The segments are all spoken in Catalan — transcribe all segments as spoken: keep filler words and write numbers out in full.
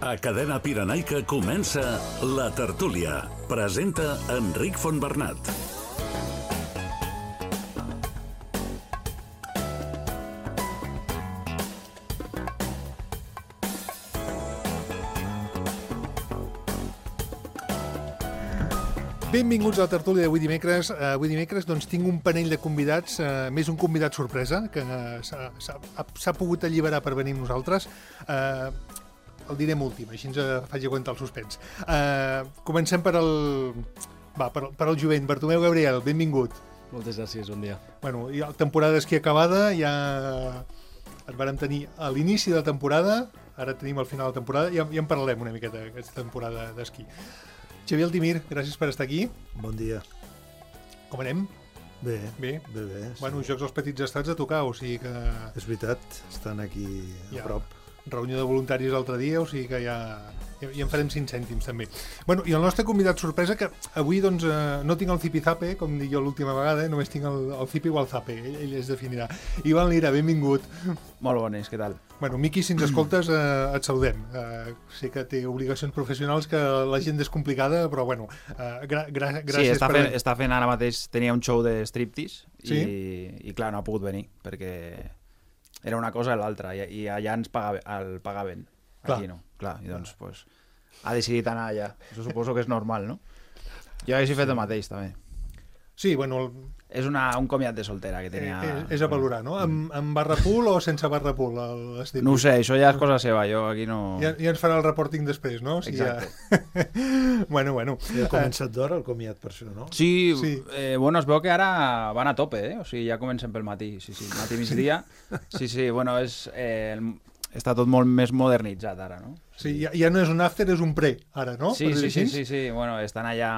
A Cadena Pirenaica comença La Tertúlia. Presenta Enric Fontbernat. Benvinguts a la tertúlia d'avui dimecres. Uh, avui dimecres doncs, tinc un panell de convidats, uh, més un convidat sorpresa, que uh, s'ha pogut alliberar per venir amb nosaltres. Uh, el direm últim, així ens faig aguantar el suspens. Uh, comencem per el, va, per, per el jovent. Bartomeu Gabriel, benvingut. Moltes gràcies, bon dia. Bueno, ja la temporada d'esquí acabada, ja et vàrem tenir a l'inici de la temporada, ara tenim al final de la temporada, ja, ja en parlarem una miqueta d'aquesta temporada d'esquí. Xavier Altimir, gràcies per estar aquí. Bon dia. Com anem? Bé, bé. bé, bé sí. Bueno, Jocs als Petits Estats a tocar, o sigui que... És veritat, estan aquí a ja, prop. Reunió de voluntaris l'altre dia, o sigui que ja, ja, ja en farem cinc cèntims també. Bueno, i el nostre convidat sorpresa, que avui doncs eh, no tinc el zipi-zape, com dic jo l'última vegada, eh, només tinc el, el zipi o el zape, ell, ell es definirà. Ivan Lira, benvingut. Molt bones, què tal? Bueno, Miqui, si ens escoltes, eh, et saludem. Eh, sé que té obligacions professionals, que l'agenda és complicada, però bueno, eh, gra gra gràcies sí, està per... fent, està fent ara mateix, tenia un show de striptease sí? i, i clar, no ha pogut venir, perquè era una cosa i l'altra, i, i allà ens pagaven, el pagaven, clar. Aquí no. Clar, i doncs pues, ha decidit anar allà. Això suposo que és normal, no? Jo hagués fet el mateix, també. Sí, bueno... El... És una, un comiat de soltera que tenia... Eh, és, és a valorar, no? Amb, amb barra pool o sense barra pool? El, no ho sé, això ja és cosa seva, jo aquí no... Ja, ja ens farà el reporting després, no? Si exacte. Ja... bueno, bueno. Ja ha començat d'hora el comiat per això, no? Sí, sí. Eh, bueno, es veu que ara van a tope, eh? O sigui, ja comencem pel matí, sí, sí, matí migdia. Sí, sí, bueno, és... Eh, està tot molt més modernitzat ara, no? Sí, ja, ja no és un after, és un pre, ara, no? Sí, sí, sí, sí, sí, bueno, estan allà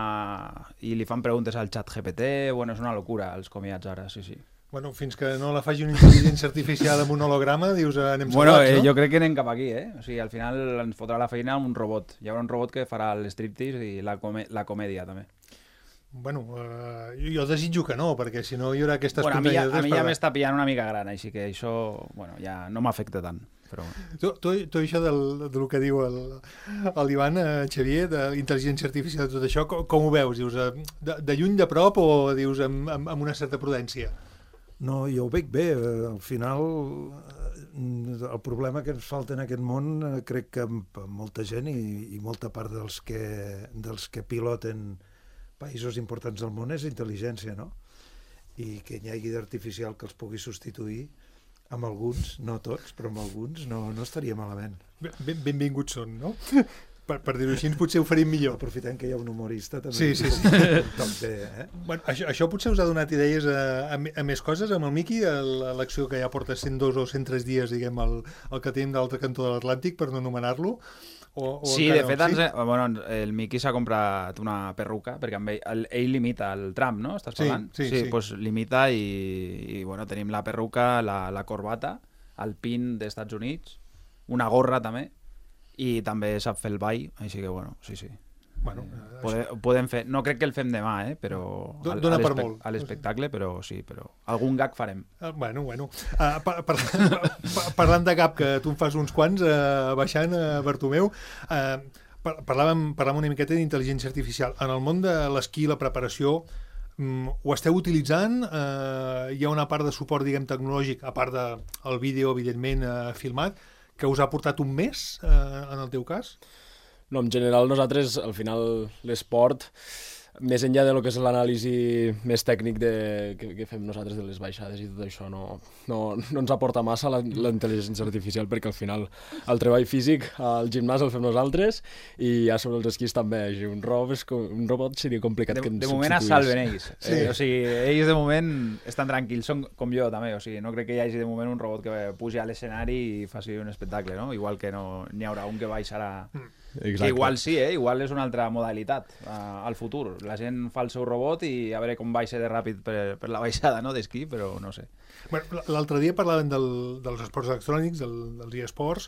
i li fan preguntes al xat G P T, bueno, és una locura els comiats ara, sí, sí. Bueno, fins que no la faci una intel·ligència artificial amb un holograma, dius, anem bueno, salvats, eh, no? Jo crec que anem cap aquí, eh? O sigui, al final ens fotrà la feina un robot. Hi haurà un robot que farà el striptease i la, comè la comèdia, també. Bueno, uh, jo desitjo que no, perquè si no hi haurà aquestes bueno, comèdies... A mi ja, ja per... m'està pillant una mica gran, així que això, bueno, ja no m'afecta tant. Però... Tu, tu, tu això del, del que diu l'Ivan, eh, Xavier, de l'intel·ligència artificial, tot això, com, com ho veus? Dius, de, de lluny, de prop, o dius amb, amb, amb una certa prudència? No, jo ho veig bé. Al final, el problema que ens falta en aquest món, crec que molta gent i, i molta part dels que, dels que piloten països importants del món és intel·ligència, no? I que hi hagi d'artificial que els pugui substituir amb alguns, no tots, però amb alguns no, no estaria malament. Ben, benvinguts són, no? Per, per dir-ho així, potser ho faríem millor. Aprofitant que hi ha un humorista també. Sí, sí, sí. També, eh? Bueno, això, això potser us ha donat idees a, a, a més coses amb el Miqui, a l'acció que ja porta cent dos o cent tres dies, diguem, el, el que tenim de l'altre cantó de l'Atlàntic, per no anomenar-lo. O, o sí, de fet, no? ens, sí? Bueno, el Miqui s'ha comprat una perruca, perquè amb ell, el, ell limita el tram, no? Estàs parlant? Sí, sí, sí. sí. Pues limita i, i, bueno, tenim la perruca, la, la corbata, el pin d'Estats Units, una gorra també, i també sap fer el ball, així que, bueno, sí, sí. Bueno, eh, podem, podem fer, no crec que el fem demà, eh, però al, Dona per molt. A l'espectacle, però sí, però algun gag farem. Uh, bueno, bueno. Uh, par par par parlant de gag, que tu en fas uns quants, uh, baixant, uh, Bartomeu, uh, par parlàvem, parlàvem una miqueta d'intel·ligència artificial. En el món de l'esquí, la preparació, um, ho esteu utilitzant? Uh, hi ha una part de suport, diguem, tecnològic, a part del vídeo, evidentment, uh, filmat, que us ha portat un mes, uh, en el teu cas? No, en general nosaltres, al final, l'esport, més enllà de lo que és l'anàlisi més tècnic de, que, que fem nosaltres de les baixades i tot això, no, no, no ens aporta massa la, la intel·ligència artificial, perquè al final el treball físic al gimnàs el fem nosaltres i ja sobre els esquís també. Un robot, és, un robot seria complicat de, que ens de moment es salven ells. Sí. Eh, o sigui, ells de moment estan tranquils, són com jo també. O sigui, no crec que hi hagi de moment un robot que pugi a l'escenari i faci un espectacle, no? Igual que no n'hi haurà un que baixarà... Exacte. Que igual sí, eh? Igual és una altra modalitat uh, al futur. La gent fa el seu robot i a veure com baixa de ràpid per, per la baixada, no?, d'esquí, però no sé. Bueno, l'altre dia parlàvem del, dels esports electrònics, del, dels eSports,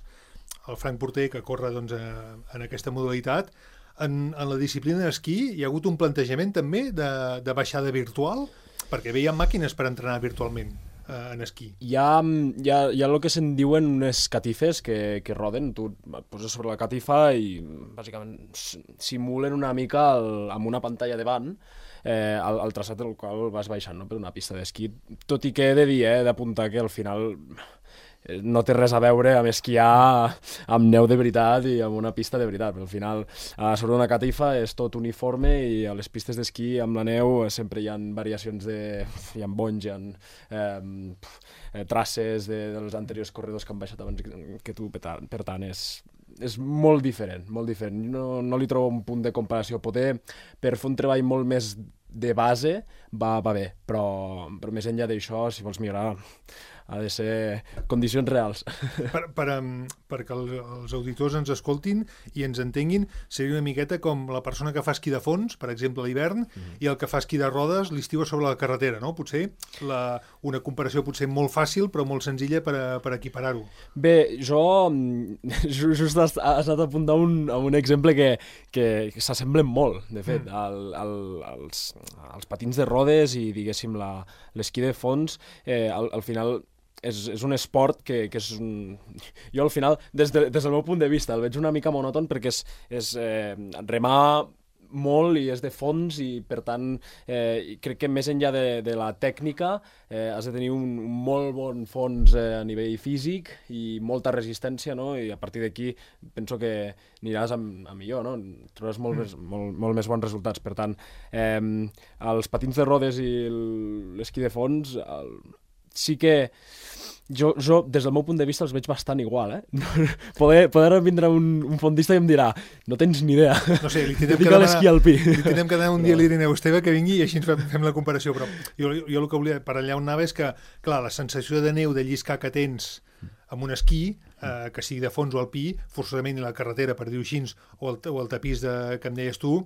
el Frank Porter, que corre doncs, a, en aquesta modalitat. En, en la disciplina d'esquí hi ha hagut un plantejament també de, de baixada virtual, perquè veiem màquines per entrenar virtualment. eh, en esquí. Hi ha, hi ha, hi ha el que se'n diuen unes catifes que, que roden, tu et poses sobre la catifa i bàsicament simulen una mica el, amb una pantalla davant eh, el, el traçat del qual vas baixant, no?, per una pista d'esquí, tot i que he de dir, eh, d'apuntar que al final no té res a veure amb esquiar amb neu de veritat i amb una pista de veritat, però al final a sobre una catifa és tot uniforme i a les pistes d'esquí amb la neu sempre hi ha variacions de... hi ha bonys, hi ha eh, traces de, dels anteriors corredors que han baixat abans que tu, per tant és, és molt diferent, molt diferent. No, no li trobo un punt de comparació. Poder, per fer un treball molt més de base, va, va bé, però, però més enllà d'això, si vols millorar, ha de ser condicions reals. Per, per, um, perquè el, els auditors ens escoltin i ens entenguin, seria una miqueta com la persona que fa esquí de fons, per exemple, a l'hivern, mm-hmm. i el que fa esquí de rodes l'estiu sobre la carretera, no? Potser la, una comparació potser molt fàcil, però molt senzilla per, a, per equiparar-ho. Bé, jo just has, has anat a apuntar un, a un exemple que, que, que s'assemblen molt, de fet, mm. al, al, als, als patins de rodes i, diguéssim, l'esquí de fons, eh, al, al final... És, és un esport que, que és un... Jo al final, des, de, des del meu punt de vista, el veig una mica monòton perquè és, és eh, remar molt i és de fons i per tant eh, crec que més enllà de, de la tècnica eh, has de tenir un, un molt bon fons eh, a nivell físic i molta resistència, no? I a partir d'aquí penso que aniràs a, a millor, no? Trobaràs molt, més, molt, molt més bons resultats. Per tant, eh, els patins de rodes i l'esquí de fons el, sí que jo, jo, des del meu punt de vista, els veig bastant igual, eh? Poder, poder vindre un, un fondista i em dirà no tens ni idea, no sé, li tindrem dedica l'esquí alpí. Li tindrem que demanar un dia a l'Irineu Esteve que vingui i així ens fem, fem la comparació, però jo, jo el que volia, per allà on anava és que, clar, la sensació de neu, de lliscar que tens amb un esquí, eh, que sigui de fons o alpí, forçosament la carretera, per dir-ho així, o el, o el tapís de, que em deies tu,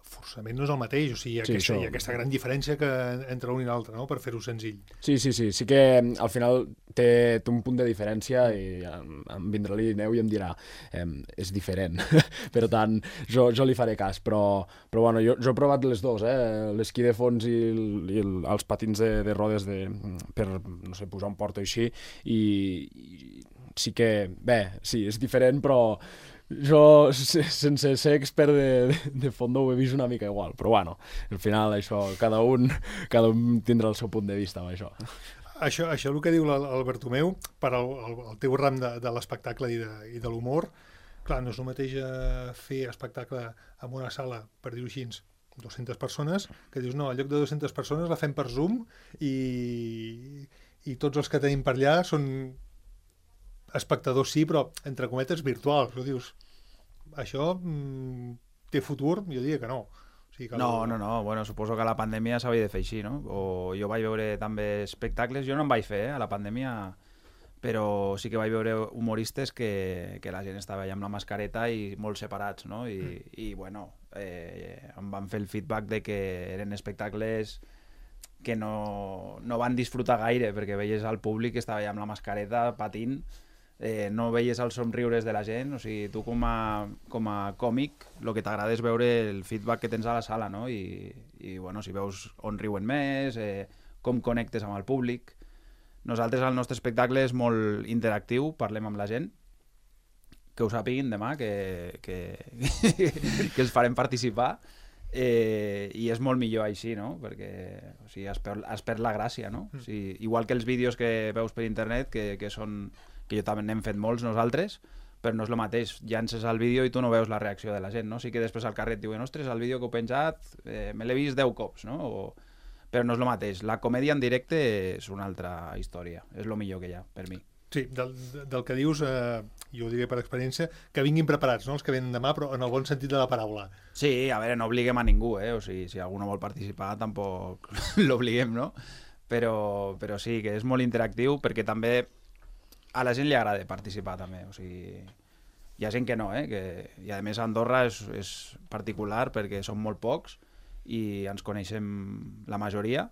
forçament no és el mateix, o sigui, hi ha, sí, aquesta, hi ha aquesta gran diferència que entre un i l'altre, no?, per fer-ho senzill. Sí, sí, sí, sí que al final té, té un punt de diferència i em, em vindrà l'Irineu i em dirà eh, és diferent, per tant jo, jo li faré cas, però, però bueno, jo, jo he provat les dues, eh? L'esquí de fons i, el, i el, els patins de, de rodes de, per, no sé, posar un port o així, i, i sí que, bé, sí, és diferent, però jo, sense ser expert de, de, de fondo, ho he vist una mica igual, però bueno, al final això, cada un, cada un tindrà el seu punt de vista amb això. Això, això el que diu el, el Bartomeu, per al, el, el teu ram de, de l'espectacle i de, i de l'humor, clar, no és el mateix fer espectacle en una sala, per dir-ho així, dues-centes persones, que dius, no, en lloc de dues-centes persones la fem per Zoom i, i tots els que tenim per allà són espectadors sí, però entre cometes virtuals. Tu dius, això mm, té futur? Jo diria que no. O sigui, que no, el... no, no. Bueno, suposo que a la pandèmia s'havia de fer així, no? O jo vaig veure també espectacles, jo no en vaig fer, eh, a la pandèmia, però sí que vaig veure humoristes que, que la gent estava allà amb la mascareta i molt separats, no? I, mm. i bueno, eh, em van fer el feedback de que eren espectacles que no, no van disfrutar gaire, perquè veies al públic que estava allà amb la mascareta patint. Eh, no veies els somriures de la gent, o sigui, tu com a, com a còmic el que t'agrada és veure el feedback que tens a la sala, no? I, i bueno, si veus on riuen més, eh, com connectes amb el públic. Nosaltres el nostre espectacle és molt interactiu, parlem amb la gent, que ho sàpiguin demà, que, que, que els farem participar, eh, i és molt millor així, no? Perquè o sigui, es, perd, es perd la gràcia, no? O sigui, igual que els vídeos que veus per internet, que, que són... que jo també n'hem fet molts nosaltres, però no és el mateix, llances el vídeo i tu no veus la reacció de la gent, no? Sí que després al carrer et diuen, ostres, el vídeo que heu penjat eh, me l'he vist deu cops, no? O... però no és el mateix, la comèdia en directe és una altra història, és el millor que hi ha, per mi. Sí, del, del que dius, eh, jo ho diré per experiència, que vinguin preparats, no?, els que venen demà, però en el bon sentit de la paraula. Sí, a veure, no obliguem a ningú, eh? O sigui, si algú no vol participar, tampoc l'obliguem, no? Però, però sí, que és molt interactiu, perquè també a la gent li agrada participar també, o sigui, hi ha gent que no, eh? Que, i a més Andorra és, és particular perquè som molt pocs i ens coneixem la majoria.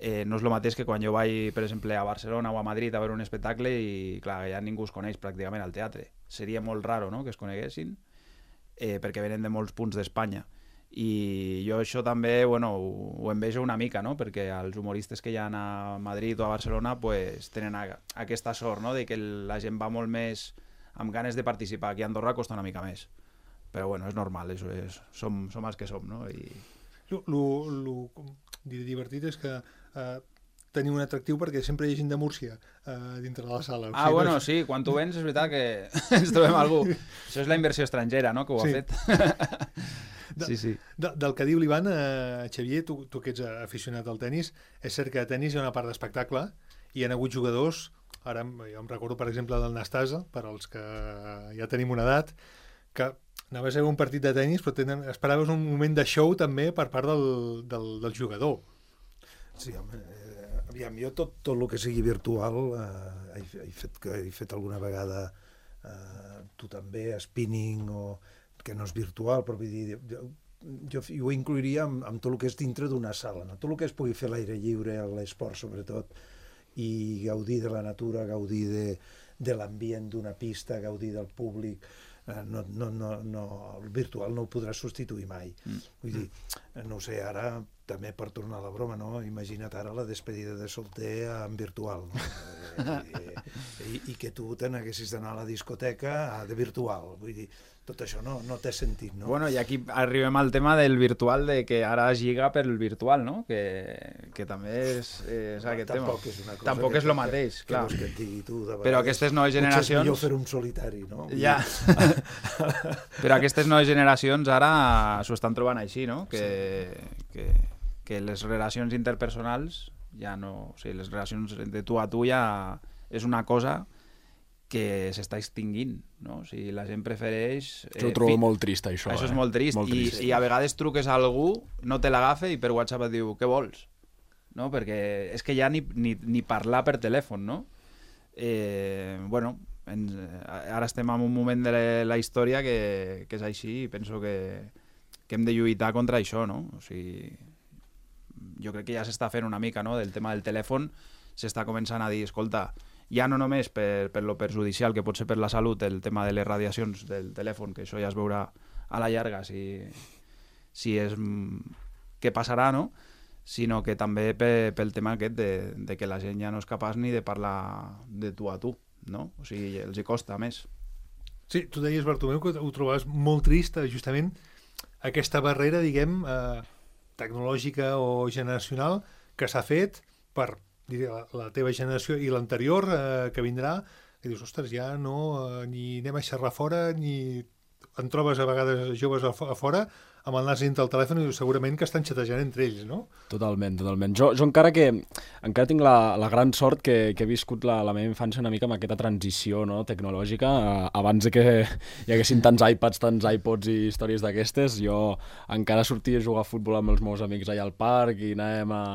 Eh, no és el mateix que quan jo vaig, per exemple, a Barcelona o a Madrid a veure un espectacle i clar, ja ningú es coneix pràcticament al teatre. Seria molt raro, no?, que es coneguessin, eh, perquè venen de molts punts d'Espanya. i jo això també, bueno, ho, ho envejo una mica, no? Perquè els humoristes que hi ha a Madrid o a Barcelona pues, tenen a, aquesta sort, no? De que la gent va molt més amb ganes de participar. Aquí a Andorra costa una mica més. Però bueno, és normal, és, és, som, som els que som, no? I... Lo, lo, lo divertit és que eh, tenir un atractiu perquè sempre hi ha gent de Múrcia eh, dintre de la sala. O sigui, ah, bueno, no és... sí, quan tu vens és veritat que ens trobem algú. Això és la inversió estrangera, no?, que ho sí. ha fet. De, sí, sí. De, del que diu l'Ivan, eh, Xavier, tu, tu que ets aficionat al tennis, és cert que a tennis hi ha una part d'espectacle i hi ha hagut jugadors, ara jo em recordo per exemple del Nastasa, per als que ja tenim una edat, que anaves a veure un partit de tennis però tenen, esperaves un moment de show també per part del, del, del jugador. Sí, home, eh, aviam, jo tot, tot el que sigui virtual eh, he, he, fet, he fet alguna vegada eh, tu també, spinning o que no és virtual, però vull dir, jo, jo, jo ho incluiria amb, amb tot el que és dintre d'una sala, no? Tot el que es pugui fer a l'aire lliure, a l'esport sobretot, i gaudir de la natura, gaudir de, de l'ambient d'una pista, gaudir del públic, eh, no, no, no, no, el virtual no ho podrà substituir mai. Mm. Vull dir, no ho sé, ara també per tornar a la broma, no? Imagina't ara la despedida de solter en virtual, no? I, i, i que tu te n'haguessis d'anar a la discoteca de virtual, vull dir, tot això no, no té sentit, no? Bueno, i aquí arribem al tema del virtual, de que ara es lliga per el virtual, no? Que, que també és, és aquest Tampoc tema. És una cosa Tampoc que, és el mateix, que, clar. Que, que et digui tu, de Però aquestes noves generacions... Potser és millor fer un solitari, no? Ja. Però aquestes noves generacions ara s'ho estan trobant així, no? Que, sí. que, que les relacions interpersonals ja no... O sigui, les relacions de tu a tu ja és una cosa que s'està extinguint, no? O sigui, la gent prefereix... Eh, jo ho trobo fi... molt trist, això. Això eh? és molt trist. Molt trist. I, I a vegades truques a algú, no te l'agafa i per WhatsApp et diu, què vols? No? Perquè és que ja ni, ni, ni parlar per telèfon, no? Eh, bueno, en, ara estem en un moment de la, la història que, que és així i penso que, que hem de lluitar contra això, no? O sigui, jo crec que ja s'està fent una mica, no? Del tema del telèfon s'està començant a dir, escolta, ja no només per, per lo perjudicial que pot ser per la salut el tema de les radiacions del telèfon, que això ja es veurà a la llarga si, si és què passarà, no? Sinó que també pe, pel tema aquest de, de que la gent ja no és capaç ni de parlar de tu a tu, no? O sigui, els hi costa més. Sí, tu deies, Bartomeu, que ho trobaves molt trist, justament, aquesta barrera, diguem, eh, tecnològica o generacional que s'ha fet per la, la teva generació i l'anterior eh, que vindrà, que dius, ostres, ja no, eh, ni anem a xerrar fora, ni en trobes a vegades joves a, a fora amb el nas dintre del telèfon i segurament que estan xatejant entre ells, no? Totalment, totalment. Jo, jo encara que encara tinc la, la gran sort que, que he viscut la, la meva infància una mica amb aquesta transició, no?, tecnològica, eh, abans de que hi haguessin tants iPads, tants iPods i històries d'aquestes, jo encara sortia a jugar a futbol amb els meus amics allà al parc i anàvem a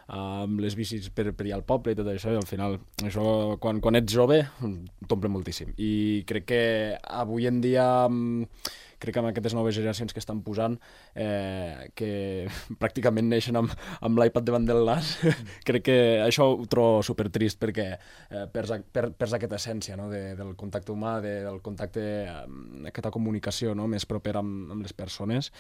amb les bicis per, per allà al poble i tot això, i al final això, quan, quan ets jove t'omple moltíssim, i crec que avui en dia crec que amb aquestes noves generacions que estan posant eh, que pràcticament neixen amb, amb l'iPad davant del nas, crec que això ho trobo supertrist perquè eh, perds, per, perds aquesta essència, no?, de, del contacte humà, de, del contacte, eh, aquesta comunicació, no?, més propera amb, amb les persones,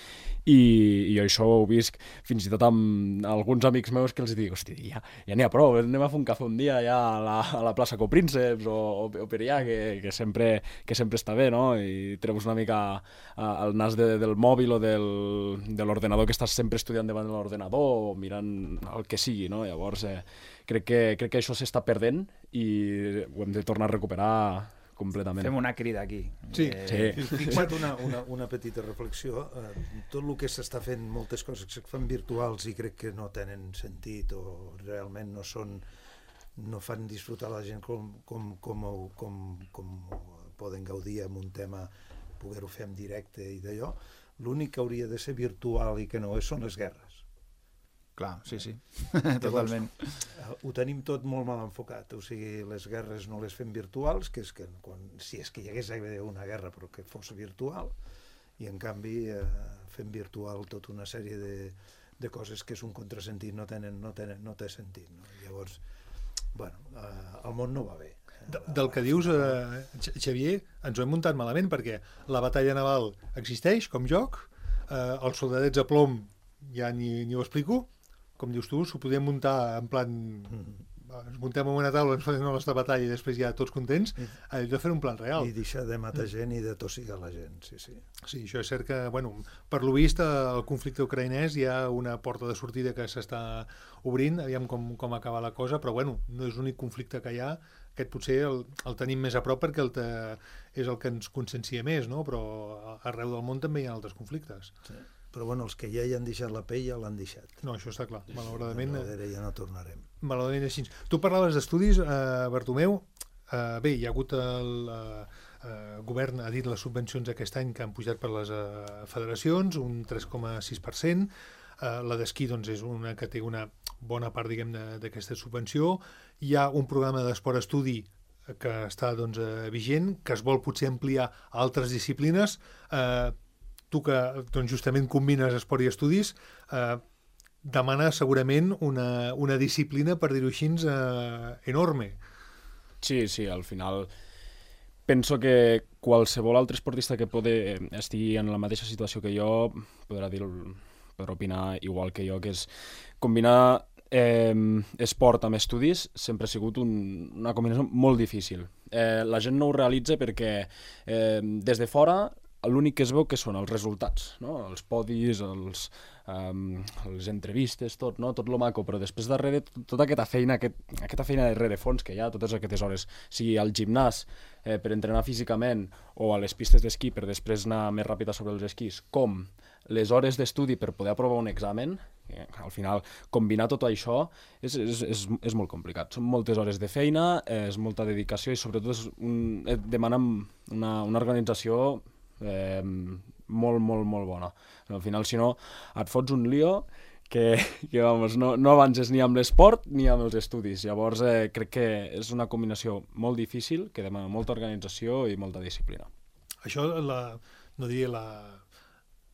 i, i jo això ho visc fins i tot amb alguns amics meus que els dic, hosti, ja, ja n'hi ha prou, anem a fer un cafè un dia ja a la, a la plaça Coprínceps o, o, o per allà, que, que, sempre, que sempre està bé, no?, i treus una mica al nas de, del mòbil o del, de l'ordenador, que estàs sempre estudiant davant de l'ordenador o mirant el que sigui, no? Llavors eh, crec, que, crec que això s'està perdent i ho hem de tornar a recuperar completament. Fem una crida aquí. Sí, eh... sí. Fixa't una, una, una petita reflexió. Eh, tot el que s'està fent, moltes coses que es fan virtuals i crec que no tenen sentit o realment no són, no fan disfrutar la gent com, com, com, com, com poden gaudir amb un tema, poder-ho fer en directe i d'allò. L'únic que hauria de ser virtual i que no és són les guerres. Clar, sí, sí, Llavors, totalment. Ho tenim tot molt mal enfocat, o sigui, les guerres no les fem virtuals, que és que quan, si és que hi hagués una guerra però que fos virtual, i en canvi eh, fem virtual tota una sèrie de, de coses que és un contrasentit, no, tenen, no, tenen, no té sentit. No? Llavors, bueno, eh, el món no va bé. De, del que dius, eh, Xavier, ens ho hem muntat malament perquè la batalla naval existeix com joc, eh, els soldadets a plom ja ni, ni ho explico, com dius tu, s'ho podien muntar en plan... ens muntem en una taula, ens fem una nostra batalla i després ja tots contents, allò de fer un plan real. I deixar de matar gent i de tossigar la gent, sí, sí. Sí, això és cert que, bueno, per lo vist, el conflicte ucraïnès hi ha una porta de sortida que s'està obrint, aviam com, com acaba la cosa, però bueno, no és l'únic conflicte que hi ha, aquest potser el, el tenim més a prop perquè el te, és el que ens consciencia més, no? Però arreu del món també hi ha altres conflictes. Sí. Però bueno, els que ja hi han deixat la pell ja l'han deixat. No, això està clar, malauradament. Darrere ja no tornarem. Malauradament així. Tu parlaves d'estudis, eh, Bartomeu, eh, bé, hi ha hagut el eh, eh, govern, ha dit les subvencions aquest any que han pujat per les eh, federacions, un tres coma sis per cent, eh, la d'esquí doncs, és una que té una bona part, diguem, d'aquesta subvenció, hi ha un programa d'esport-estudi que està doncs, eh, vigent, que es vol potser ampliar a altres disciplines, eh, tu que doncs, justament combines esport i estudis, eh, demana segurament una, una disciplina, per dir-ho així, eh, enorme. Sí, sí, al final penso que qualsevol altre esportista que pode, estigui en la mateixa situació que jo podrà, dir, podrà opinar igual que jo, que és combinar eh, esport amb estudis sempre ha sigut un, una combinació molt difícil. Eh, la gent no ho realitza perquè eh, des de fora l'únic que es veu que són els resultats, no? Els podis, els, um, les entrevistes, tot, no? Tot lo maco, però després darrere tota aquesta feina, aquest, aquesta feina de rerefons que hi ha, totes aquestes hores, sigui al gimnàs eh, per entrenar físicament o a les pistes d'esquí per després anar més ràpida sobre els esquís, com les hores d'estudi per poder aprovar un examen, eh, al final combinar tot això és, és, és, és molt complicat. Són moltes hores de feina, eh, és molta dedicació i sobretot és un, eh, demana una, una organització Eh, molt, molt, molt bona. Al final, si no, et fots un lío que, que vamos, no, no avances ni amb l'esport ni amb els estudis. Llavors, eh, crec que és una combinació molt difícil, que demana molta organització i molta disciplina. Això, la, no diria la...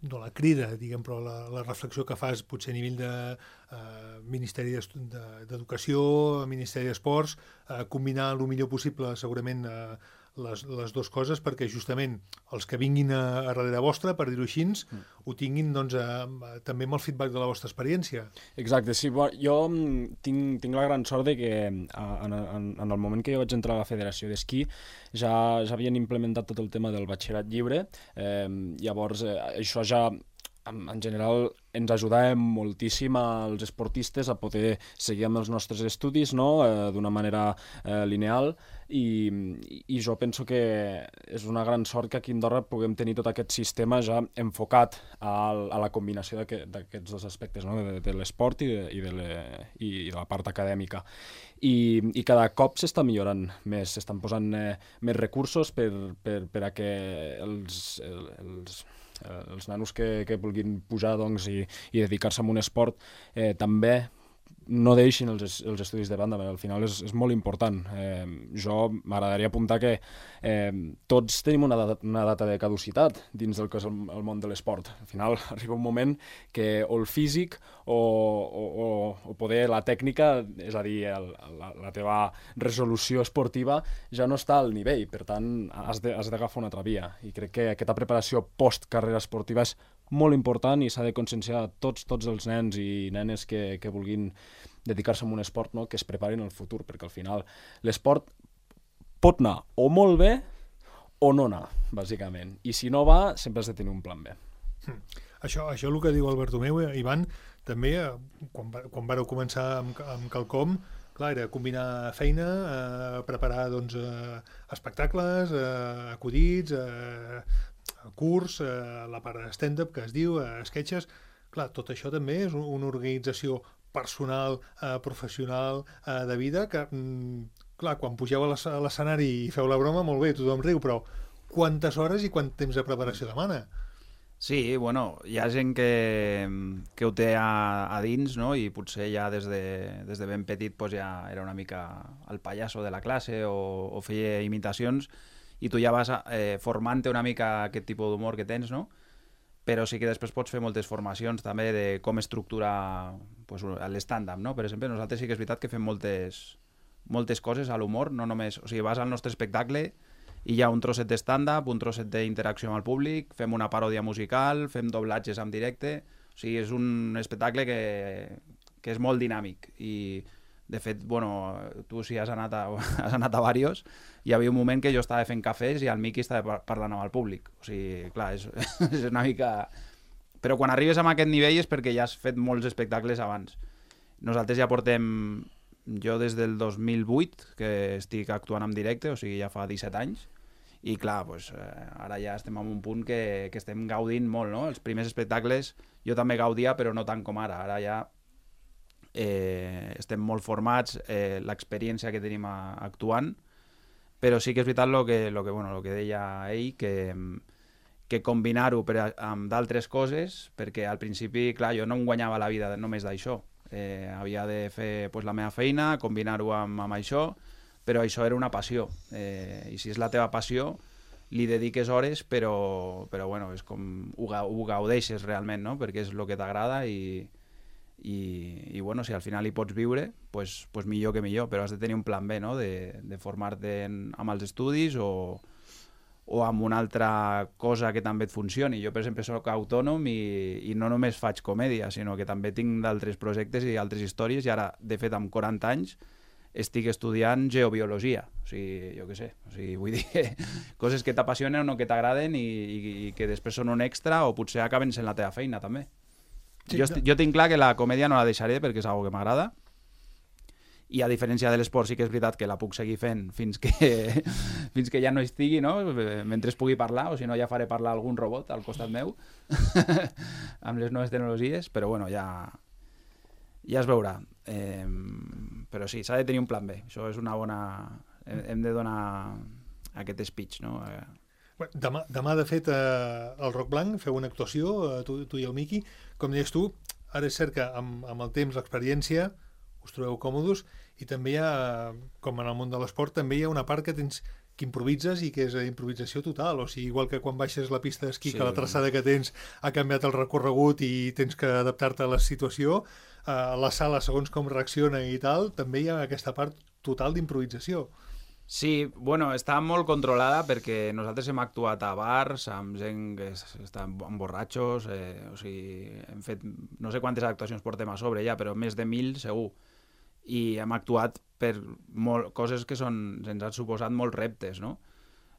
no la crida, diguem, però la, la reflexió que fas potser a nivell de eh, Ministeri d'Educació, Ministeri d'Esports, eh, combinar el millor possible segurament eh, les, les dues coses, perquè justament els que vinguin a, a darrere vostra, per dir-ho així, mm. ho tinguin doncs, a, a, també amb el feedback de la vostra experiència. Exacte, sí, bo, jo tinc, tinc la gran sort de que en, en, en el moment que jo vaig entrar a la Federació d'Esquí ja, ja havien implementat tot el tema del batxillerat lliure, eh, llavors eh, això ja en, en general ens ajudàvem moltíssim als esportistes a poder seguir amb els nostres estudis, no? eh, d'una manera eh, lineal i, i jo penso que és una gran sort que aquí a Andorra puguem tenir tot aquest sistema ja enfocat a, a la combinació d'aquests dos aspectes, no? de, de l'esport i, de, i, de le, i de la part acadèmica. I, i cada cop s'està millorant més, s'estan posant eh, més recursos per, per, per a que els, els els nanos que, que vulguin pujar doncs, i, i dedicar-se a un esport eh, també no deixin els, els estudis de banda, perquè al final és, és molt important. Eh, jo m'agradaria apuntar que eh, tots tenim una data, una data de caducitat dins del que és el, el món de l'esport. Al final arriba un moment que o el físic o, o, o, o poder la tècnica, és a dir, el, la, la teva resolució esportiva ja no està al nivell, per tant has d'agafar una altra via. I crec que aquesta preparació post-carrera esportiva és molt important i s'ha de conscienciar tots, tots els nens i nenes que, que vulguin dedicar-se a un esport, no? Que es preparin al futur, perquè al final l'esport pot anar o molt bé o no anar, bàsicament. I si no va, sempre has de tenir un plan B. Hmm. Això, això el que diu el Bartomeu, eh, Ivan, també, eh, quan, quan vareu començar amb, amb quelcom, clar, era combinar feina, eh, preparar doncs, eh, espectacles, eh, acudits, eh, curs, eh, la part de stand-up que es diu, eh, sketches. Clar, tot això també és un, una organització personal, eh, professional, eh, de vida, que, mm, clar, quan pugeu a l'escenari i feu la broma, molt bé, tothom riu, però quantes hores i quant temps de preparació demana? Sí, bueno, hi ha gent que, que ho té a, a dins, no? I potser ja des de, des de ben petit pues, ja era una mica el pallasso de la classe o, o feia imitacions, i tu ja vas eh, formant-te una mica aquest tipus d'humor que tens, no? Però sí que després pots fer moltes formacions també de com estructurar pues, l'stand-up, no? Per exemple, nosaltres sí que és veritat que fem moltes, moltes coses a l'humor, no només... O sigui, vas al nostre espectacle i hi ha un trosset de stand-up, un trosset d'interacció amb el públic, fem una paròdia musical, fem doblatges en directe, o sigui, és un espectacle que, que és molt dinàmic i de fet, bueno, tu si has anat a, has anat a varios, hi havia un moment que jo estava fent cafès i el Miqui estava parlant amb el públic, o sigui, clar, és, és una mica... Però quan arribes a aquest nivell és perquè ja has fet molts espectacles abans. Nosaltres ja portem, jo des del dos mil vuit, que estic actuant en directe, o sigui, ja fa disset anys, i clar, pues, eh, ara ja estem en un punt que, que estem gaudint molt, no? Els primers espectacles jo també gaudia, però no tant com ara. Ara ja eh, estem molt formats, eh, l'experiència que tenim a, actuant, però sí que és veritat el que, lo que, bueno, lo que deia ell, que... que combinar-ho amb d'altres coses, perquè al principi, clar, jo no em guanyava la vida només d'això. Eh, havia de fer pues, la meva feina, combinar-ho amb, amb això, però això era una passió. Eh, I si és la teva passió, li dediques hores, però, però bueno, és com ho, ho gaudeixes realment, no? Perquè és el que t'agrada i, i, i bueno, si al final hi pots viure, pues, pues millor que millor, però has de tenir un plan B, no? De, de formar-te amb els estudis o o amb una altra cosa que també et funcioni. Jo, per exemple, soc autònom i, i no només faig comèdia, sinó que també tinc d'altres projectes i altres històries, i ara, de fet, amb quaranta anys, estic estudiant geobiologia. O sigui, jo què sé, o sigui, vull dir que coses que t'apassionen o no que t'agraden i, i, i que després són un extra o potser acaben sent la teva feina, també. Sí, jo, no. jo tinc clar que la comèdia no la deixaré perquè és una que m'agrada, i a diferència de l'esport sí que és veritat que la puc seguir fent fins que, fins que ja no estigui, no? Mentre es pugui parlar, o si no ja faré parlar algun robot al costat meu amb les noves tecnologies, però bueno, ja, ja es veurà. Eh, però sí, s'ha de tenir un plan B, això és una bona... Hem, hem de donar aquest speech, no? Eh, Demà, demà, de fet, eh, al Roc Blanc feu una actuació, eh, tu, tu i el Miqui. Com deies tu, ara és cert que amb, amb el temps, l'experiència, us trobeu còmodes, i també hi ha, com en el món de l'esport, també hi ha una part que tens que improvises i que és improvisació total, o sigui, igual que quan baixes la pista d'esquí, sí, que la traçada que tens ha canviat el recorregut i tens que adaptar-te a la situació, a la sala, segons com reacciona i tal, també hi ha aquesta part total d'improvisació. Sí, bueno, està molt controlada perquè nosaltres hem actuat a bars, amb gent que està amb borratxos, eh, o sigui, hem fet no sé quantes actuacions portem a sobre ja, però més de mil segur. I hem actuat per molt, coses que són, ens han suposat molts reptes, no?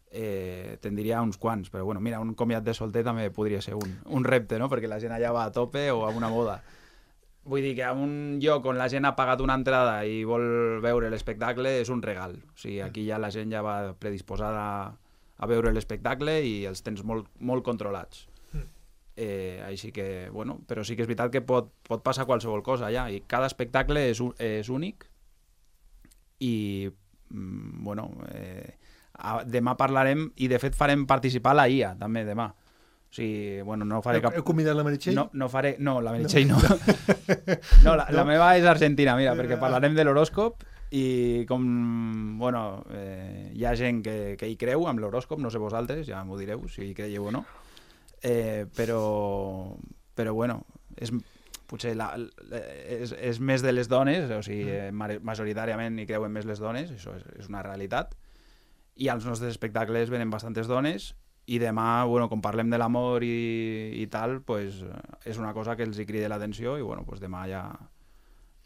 Eh, te'n diria uns quants, però bueno, mira, un comiat de solter també podria ser un, un repte, no? Perquè la gent allà va a tope o a una boda. Vull dir que a un lloc on la gent ha pagat una entrada i vol veure l'espectacle és un regal. O sigui, aquí ja la gent ja va predisposada a veure l'espectacle i els tens molt, molt controlats. Eh, així que, bueno, però sí que és veritat que pot, pot passar qualsevol cosa allà, i cada espectacle és, és únic i, mm, bueno, eh, a, demà parlarem, i de fet farem participar la I A també demà. O sigui, bueno, no faré cap... Heu convidat la Meritxell? No, no faré... No, la Meritxell no. No, la, la meva és argentina, mira, perquè parlarem de l'horòscop i com, bueno, eh, hi ha gent que, que hi creu amb l'horòscop, no sé vosaltres, ja m'ho direu, si hi creieu o no. Eh, però, però bueno, és, potser la, és, és més de les dones, o sigui, majoritàriament hi creuen més les dones, això és, és una realitat, i als nostres espectacles venen bastantes dones, i demà, bueno, com parlem de l'amor i, i tal, pues, és una cosa que els hi crida l'atenció, i bueno, pues demà ja,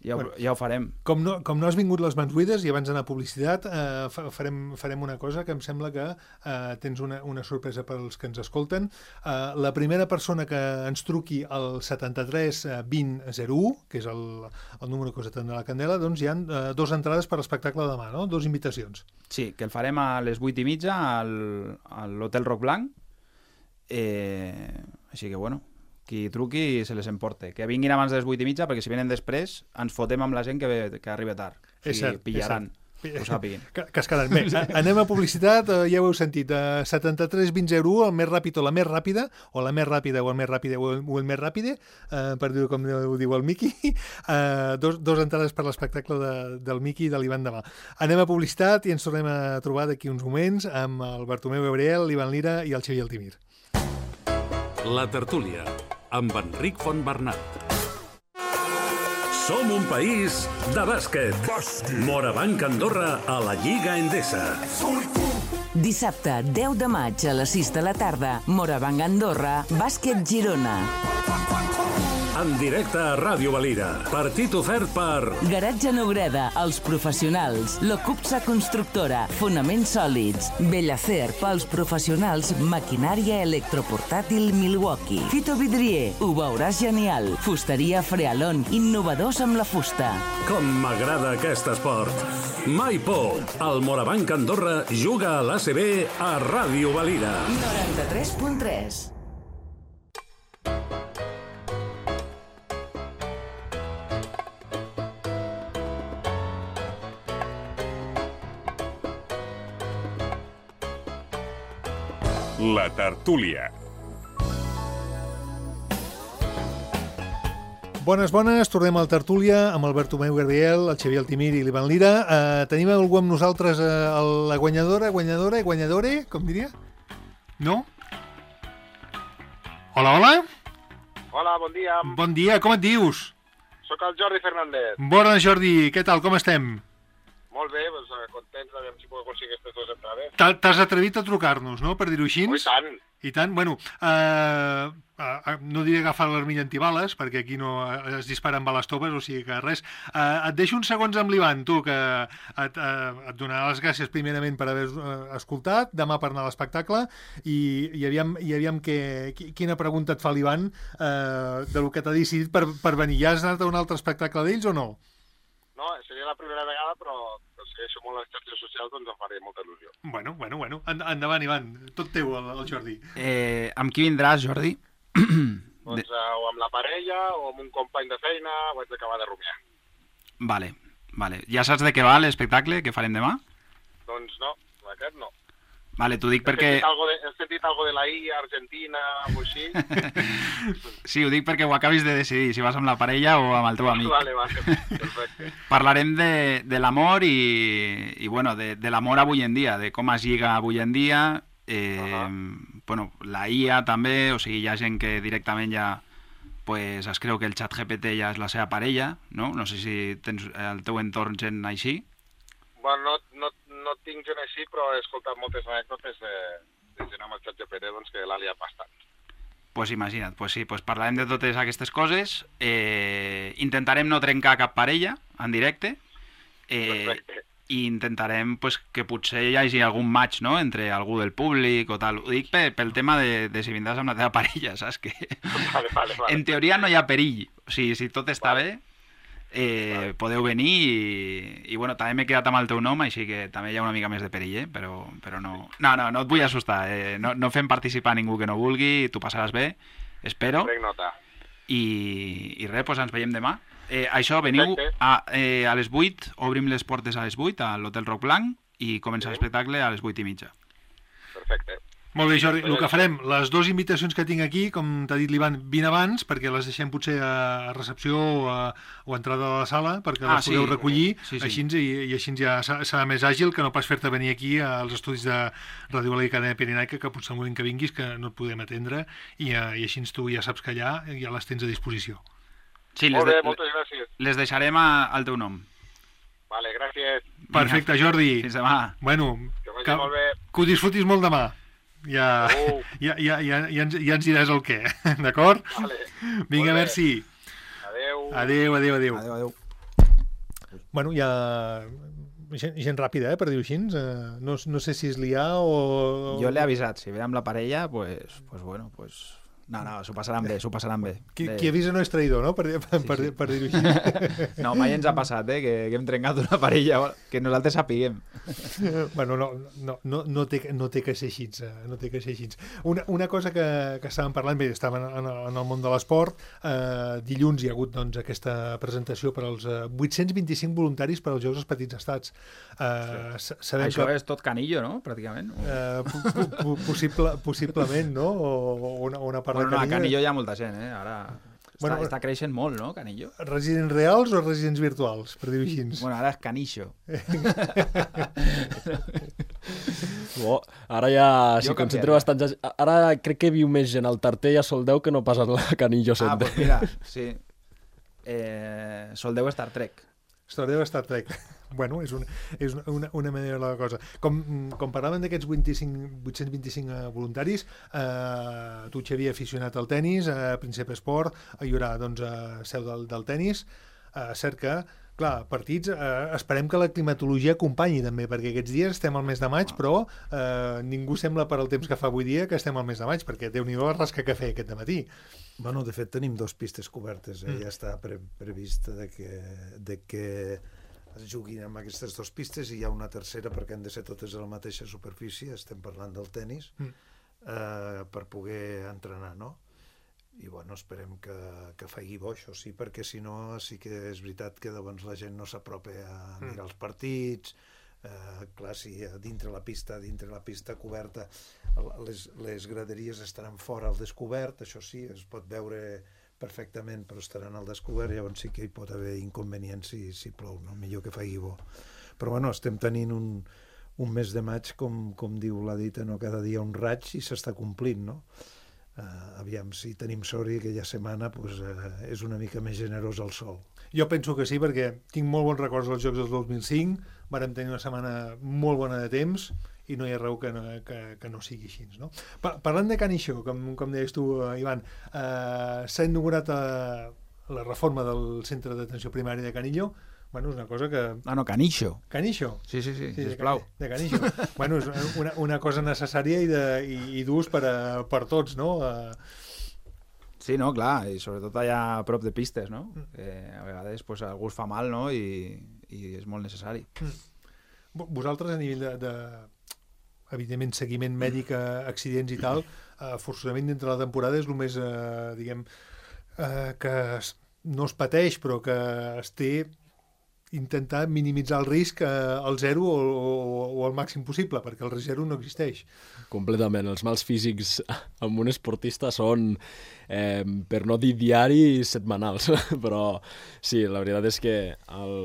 ja, ho, ja ho farem. Com no, com no has vingut les mans buides i abans d'anar a publicitat, eh, farem, farem una cosa que em sembla que eh, tens una, una sorpresa pels que ens escolten. Eh, la primera persona que ens truqui al setanta-tres vint zero u, que és el, el número que us atén de la Candela, doncs hi ha eh, dos entrades per l'espectacle demà, no? Dos invitacions. Sí, que el farem a les vuit i mitja al, a l'Hotel Roc Blanc. Eh, així que, bueno, qui truqui se les emporte. Que vinguin abans de les vuit i mitja, perquè si venen després ens fotem amb la gent que, ve, que arriba tard. O sigui, és cert, pillaran, és cert. ho sàpiguin. Que, que es quedaran. Bé, anem a publicitat, ja ho heu sentit, uh, setanta-tres vint zero u, el més ràpid o la més ràpida, o la més ràpida o el més ràpida o el, o el més ràpide, uh, per dir-ho com ho diu el Miqui, uh, dos, dos entrades per l'espectacle de, del Miqui i de l'Ivan demà. Anem a publicitat i ens tornem a trobar d'aquí uns moments amb el Bartomeu Gabriel, l'Ivan Lira i el Xavier Altimir. La tertúlia, amb Enric Fontbernat. Som un país de bàsquet. Morabanc Andorra a la Lliga Endesa. Dissabte, deu de maig, a les sis de la tarda, Morabanc Andorra, Bàsquet Girona. En directe a Ràdio Valira. Partit ofert per... Garatge Neureda, els professionals. Locupsa Constructora, fonaments sòlids. Bellacer, pels professionals, maquinària electroportàtil Milwaukee. Fito Vidrier, ho veuràs genial. Fusteria Frealon, innovadors amb la fusta. Com m'agrada aquest esport. Mai por. El Morabanc Andorra juga a l'A C B a Ràdio Valira. noranta-tres punt tres. La tertúlia. Bones, bones, tornem al tertúlia amb el Bartomeu Gabriel, el Xavier Altimir i l'Ivan Lira. Uh, tenim algú amb nosaltres, uh, la guanyadora, guanyadora, guanyadore, com diria? No? Hola, hola. Hola, bon dia. Bon dia, com et dius? Soc el Jordi Fernández. Bona, Jordi, què tal, com estem? Molt bé, doncs, contents, aviam si puc aconseguir aquestes dues entrades. T'has atrevit a trucar-nos, no?, per dir-ho així? Oh, i tant. I tant, bueno, uh, uh, no diré agafar l'armilla antibales, perquè aquí no es disparen bales toves, o sigui que res. Uh, et deixo uns segons amb l'Ivan, tu, que et, uh, et donarà les gràcies primerament per haver uh, escoltat, demà per anar a l'espectacle, i, i aviam, i aviam que, quina pregunta et fa l'Ivan uh, del que t'ha decidit per, per venir. Ja has anat a un altre espectacle d'ells o no? No, seria la primera vegada, però, però segueixo molt les xarxes socials, doncs em faria molta il·lusió. Bueno, bueno, bueno. Endavant, Ivan. Tot teu, el, el Jordi. Eh, amb qui vindràs, Jordi? Doncs uh, o amb la parella o amb un company de feina, ho haig d'acabar de rumiar. Vale, vale. Ja saps de què va l'espectacle que farem demà? Doncs no, aquest no. Vale, t'ho dic perquè... He sentit algo de, he sentit algo de la I A, Argentina, o així. Sí, ho dic perquè ho acabis de decidir, si vas amb la parella o amb el teu amic. Vale, vale, perfecte. Parlarem de, de l'amor i, i bueno, de, de l'amor avui en dia, de com es lliga avui en dia. Eh, uh-huh. Bueno, la I A també, o sigui, hi ha gent que directament ja pues, es creu que el xat G P T ja és la seva parella, no? No sé si tens al teu entorn gent així. Bueno, no, no, no tinc gent així, però he escoltat moltes anècdotes de, de gent amb el xat G P T doncs, que l'ha liat bastant. Pues imagina't, pues sí, pues parlarem de totes aquestes coses. Eh, intentarem no trencar cap parella en directe. Eh, I intentarem pues, que potser hi hagi algun match, no?, entre algú del públic o tal. Ho dic pel, pel tema de, de si vindràs amb la teva parella, saps? Que vale, vale, vale. En teoria no hi ha perill. O sigui, si tot està vale. bé... Eh, vale. Podeu venir i, i bueno, també m'he quedat amb el teu nom, així que també hi ha una mica més de perill, eh? però, però no, no, no, no et vull assustar, eh? no, no fem participar ningú que no vulgui, tu passaràs bé, espero. Prenc nota. I, i res, doncs ens veiem demà. Eh, això, veniu a, eh, a les vuit, obrim les portes a les vuit a l'Hotel Roc Blanc i comença sí. l'espectacle a les vuit i mitja. Perfecte. Molt bé, Jordi, el que farem, les dues invitacions que tinc aquí, com t'ha dit l'Ivan, vine abans, perquè les deixem potser a recepció o a, o a entrada de la sala, perquè ah, les podeu sí. recollir, sí, sí. Així, i, i així ja serà més àgil que no pas fer-te venir aquí als estudis de Ràdio Valira i Cadena Pirenaica, que potser el moment que vinguis que no et podem atendre, i, i així tu ja saps que allà ja les tens a disposició. Sí, Molt bé, de, moltes gràcies. Les deixarem a, al teu nom. Vale, gràcies. Perfecte, Jordi. Fins demà. Bueno, que, que, molt bé. que ho disfrutis molt demà. Ja, uh. ja, ja, ja, ja, ens, ja ens diràs el què, d'acord? Vale. Vinga, merci. Adéu. Adéu, adéu, adéu. Adéu, adéu. Bueno, ja... Gent, gent ràpida, eh, per dir-ho així. Uh, no, no sé si és liar o... Jo l'he avisat, si ve amb la parella, pues, pues bueno, pues... No, no, s'ho passaran bé, s'ho passaran bé. Qui, de... qui avisa no és traïdor, no? Per, per, sí, per, sí. per dir-ho així. No, mai ens ha passat, eh, que, que hem trencat una parella, que nosaltres sapiguem. Bueno, no, no, no, no, té, no té que ser així. No té que ser així. Una, una cosa que, que estàvem parlant, bé, estàvem en, en el món de l'esport, eh, dilluns hi ha hagut doncs, aquesta presentació per als eh, vuit-cents vint-i-cinc voluntaris per als Jocs dels Petits Estats. Eh, sí. Sabem Això que, és tot canillo, no?, pràcticament. Eh, po, po, possible, possiblement, no? O una, una part bueno, de Canillo. no, a Canillo hi ha molta gent, eh? Ara està, bueno, està creixent molt, no, Canillo? Residents reals o residents virtuals, per dir-ho així? Bueno, ara és Canixo. Bo, ara ja s'hi concentra bastant. Ara crec que viu més gent al Tarter i a Soldeu que no pas a la Canillo Center. Ah, doncs pues mira, sí. Eh, Soldeu Star Trek. Soldeu Star Trek. Bueno, és, una, és una, una manera de la cosa. Com, com parlàvem d'aquests vuit-cents vint-i-cinc voluntaris, eh, tu, Xavier, aficionat al tennis, a Príncep Esport, hi haurà doncs, a seu del, del tennis, eh, cert que, clar, partits, eh, esperem que la climatologia acompanyi també, perquè aquests dies estem al mes de maig, però eh, ningú sembla per al temps que fa avui dia que estem al mes de maig, perquè Déu-n'hi-do la rasca que feia aquest dematí. Bueno, de fet, tenim dos pistes cobertes. Eh? Mm. Ja està pre previst de que, de que es juguin amb aquestes dues pistes i hi ha una tercera perquè han de ser totes a la mateixa superfície, estem parlant del tennis, mm. eh, per poder entrenar, no? I bueno, esperem que, que faci bo, això sí, perquè si no sí que és veritat que llavors la gent no s'apropa a mirar mm. els partits, eh, clar, si dintre la pista, dintre la pista coberta, les, les graderies estaran fora al descobert, això sí, es pot veure perfectament, però estaran al descobert, llavors sí que hi pot haver inconvenients si, si plou, no? Millor que faci bo. Però bueno, estem tenint un, un mes de maig, com, com diu la dita, no? Cada dia un raig i s'està complint, no? Uh, aviam, si tenim sort i aquella setmana pues, uh, és una mica més generós el sol. Jo penso que sí, perquè tinc molt bons records dels Jocs del dos mil cinc, vàrem tenir una setmana molt bona de temps i no hi ha raó que no, que, que no sigui així, no? Pa parlant de Canixó, com, com deies tu, uh, Ivan, uh, s'ha inaugurat uh, la reforma del centre d'atenció primària de Canillo. Bueno, és una cosa que... Ah, no, Canixo. Canixo? Sí, sí, sí, sí sisplau. De, de Canixo. Bueno, és una, una cosa necessària i, de, i, i d'ús per, a, per tots, no? Uh... Sí, no, clar, i sobretot allà a prop de pistes, no? Mm. Eh, a vegades pues, algú es fa mal, no? I, i és molt necessari. Mm. Vosaltres, a nivell de, de evidentment, seguiment mèdic, accidents i tal, eh, forçosament dintre la temporada és el més, eh, diguem, eh, que es, no es pateix, però que es té intentar minimitzar el risc eh, al zero o, o, o al màxim possible, perquè el risc zero no existeix. Completament. Els mals físics amb un esportista són, eh, per no dir diari, setmanals. Però sí, la veritat és que el,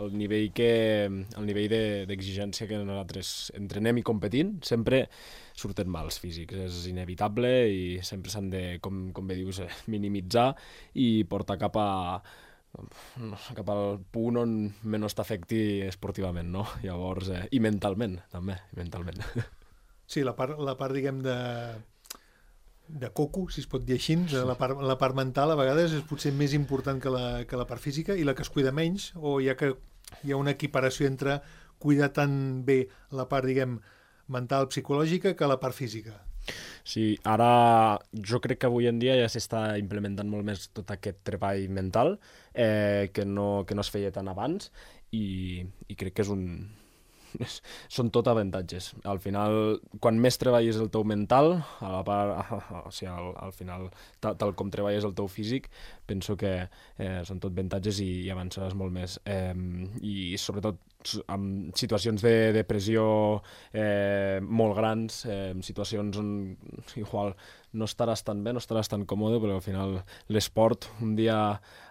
el nivell, que, el nivell d'exigència que nosaltres entrenem i competint sempre surten mals físics. És inevitable i sempre s'han de, com, com bé dius, minimitzar i portar cap a cap al punt on menys t'afecti esportivament, no? Llavors, eh, i mentalment, també, i mentalment. Sí, la part, la part diguem, de, de coco, si es pot dir així, la part, la part mental a vegades és potser més important que la, que la part física i la que es cuida menys, o hi ha, que, hi ha una equiparació entre cuidar tan bé la part, diguem, mental, psicològica, que la part física. Sí, ara jo crec que avui en dia ja s'està implementant molt més tot aquest treball mental eh, que, no, que no es feia tant abans i, i crec que és un... són tot avantatges. Al final, quan més treballes el teu mental, a la part, o sigui, al, al final, tal, tal com treballes el teu físic, penso que eh, són tot avantatges i, i avançaràs molt més. Eh, I sobretot amb situacions de depressió eh, molt grans, eh, situacions on igual no estaràs tan bé, no estaràs tan còmode, però al final l'esport un dia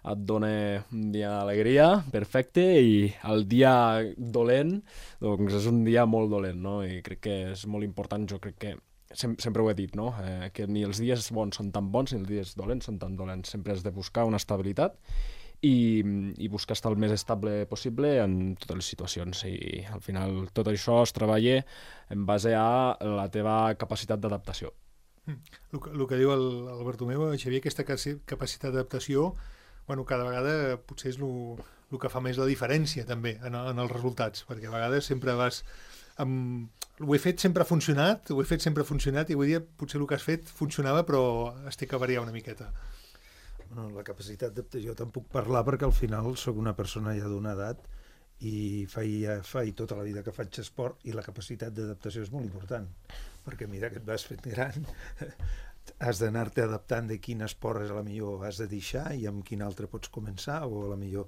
et dona un dia d'alegria, perfecte, i el dia dolent doncs és un dia molt dolent, no? I crec que és molt important, jo crec que Sem sempre ho he dit, no? Eh, que ni els dies bons són tan bons ni els dies dolents són tan dolents. Sempre has de buscar una estabilitat i, i buscar estar el més estable possible en totes les situacions. I al final tot això es treballa en base a la teva capacitat d'adaptació. Mm. El, que, el que diu el, el Bartomeu, Xavier, aquesta capacitat d'adaptació, bueno, cada vegada potser és el, el que fa més la diferència també en, en els resultats, perquè a vegades sempre vas... Amb... Ho he fet sempre ha funcionat, ho he fet sempre ha funcionat i avui dia potser el que has fet funcionava però es té que variar una miqueta. Bueno, la capacitat d'adaptació te'n puc parlar perquè al final sóc una persona ja d'una edat i faig, faig tota la vida que faig esport i la capacitat d'adaptació és molt important perquè mira que et vas fent gran has d'anar-te adaptant de quin esport és a la millor has de deixar i amb quin altre pots començar o a la millor,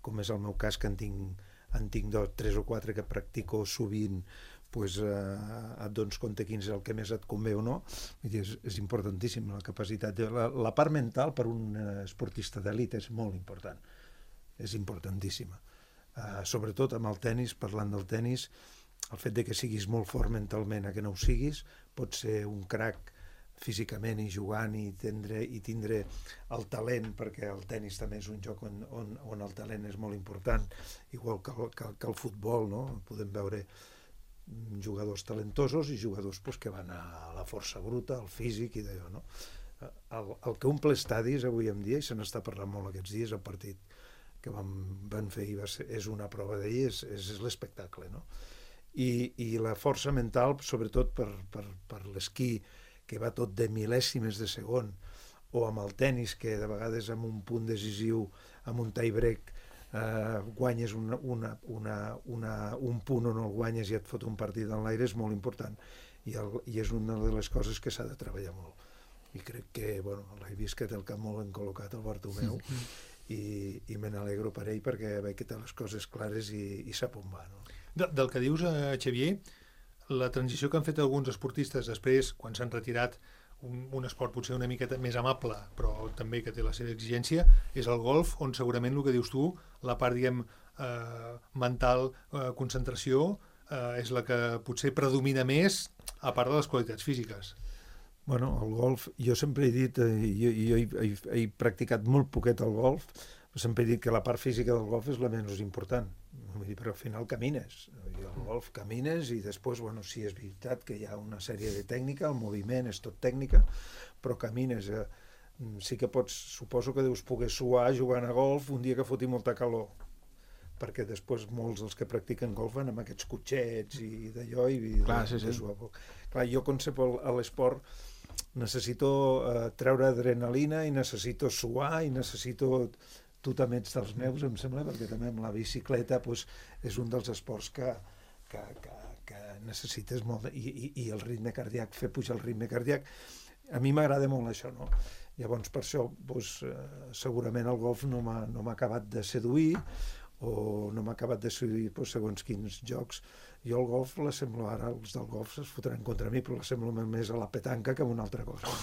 com és el meu cas que en tinc en tinc dos, tres o quatre que practico sovint, pues, eh, et dones compte quin és el que més et convé o no. Vull dir, és, és importantíssim la capacitat. De, la, la part mental per un esportista d'elit és molt important. És importantíssima. Eh, sobretot amb el tennis, parlant del tennis, el fet de que siguis molt fort mentalment a que no ho siguis pot ser un crack físicament i jugant i tindre, i tindre el talent, perquè el tennis també és un joc on, on, on el talent és molt important, igual que el, que, que el futbol, no? Podem veure jugadors talentosos i jugadors pues, que van a la força bruta, al físic i d'allò, no? El, el que omple estadis avui en dia, i se n'està parlant molt aquests dies, el partit que vam, van fer i va ser, és una prova d'ahir, és, és l'espectacle, no? I, i la força mental, sobretot per, per, per l'esquí, que va tot de mil·lèsimes de segon, o amb el tennis, que de vegades amb un punt decisiu, amb un tie-break, eh, guanyes una, una, una, una, un punt o no el guanyes i et fot un partit en l'aire, és molt important. I, el, i és una de les coses que s'ha de treballar molt. I crec que, bueno, l'he vist que té el cap molt encol·locat, el Bartomeu, sí. i, i me n'alegro per ell perquè veig que té les coses clares i, i sap on va, no? De, del que dius, eh, Xavier, la transició que han fet alguns esportistes després, quan s'han retirat, un, un esport potser una miqueta més amable, però també que té la seva exigència, és el golf, on segurament el que dius tu, la part, diguem, eh, mental, eh, concentració, eh, és la que potser predomina més, a part de les qualitats físiques. Bueno, el golf, jo sempre he dit, eh, jo, jo he, he, he practicat molt poquet el golf, però sempre he dit que la part física del golf és la menys important. Vull dir, però al final camines. I el golf camines i després, bueno, sí, és veritat que hi ha una sèrie de tècnica, el moviment és tot tècnica, però camines. Eh, sí que pots, suposo que deus poder suar jugant a golf un dia que foti molta calor, perquè després molts dels que practiquen golf van amb aquests cotxets i d'allò i Clar, de, sí, sí. de suar poc. Clar, jo concepo a l'esport necessito eh, treure adrenalina i necessito suar i necessito... Tu també ets dels meus, em sembla, perquè també amb la bicicleta pues, és un dels esports que, que, que, que necessites molt, i, i, i el ritme cardíac, fer pujar el ritme cardíac. A mi m'agrada molt això, no? Llavors, per això, pues, eh, segurament el golf no m'ha no m'ha acabat de seduir, o no m'ha acabat de seduir pues, segons quins jocs. Jo el golf l'assemblo ara, els del golf es fotran contra mi, però l'assemblo més a la petanca que a una altra cosa.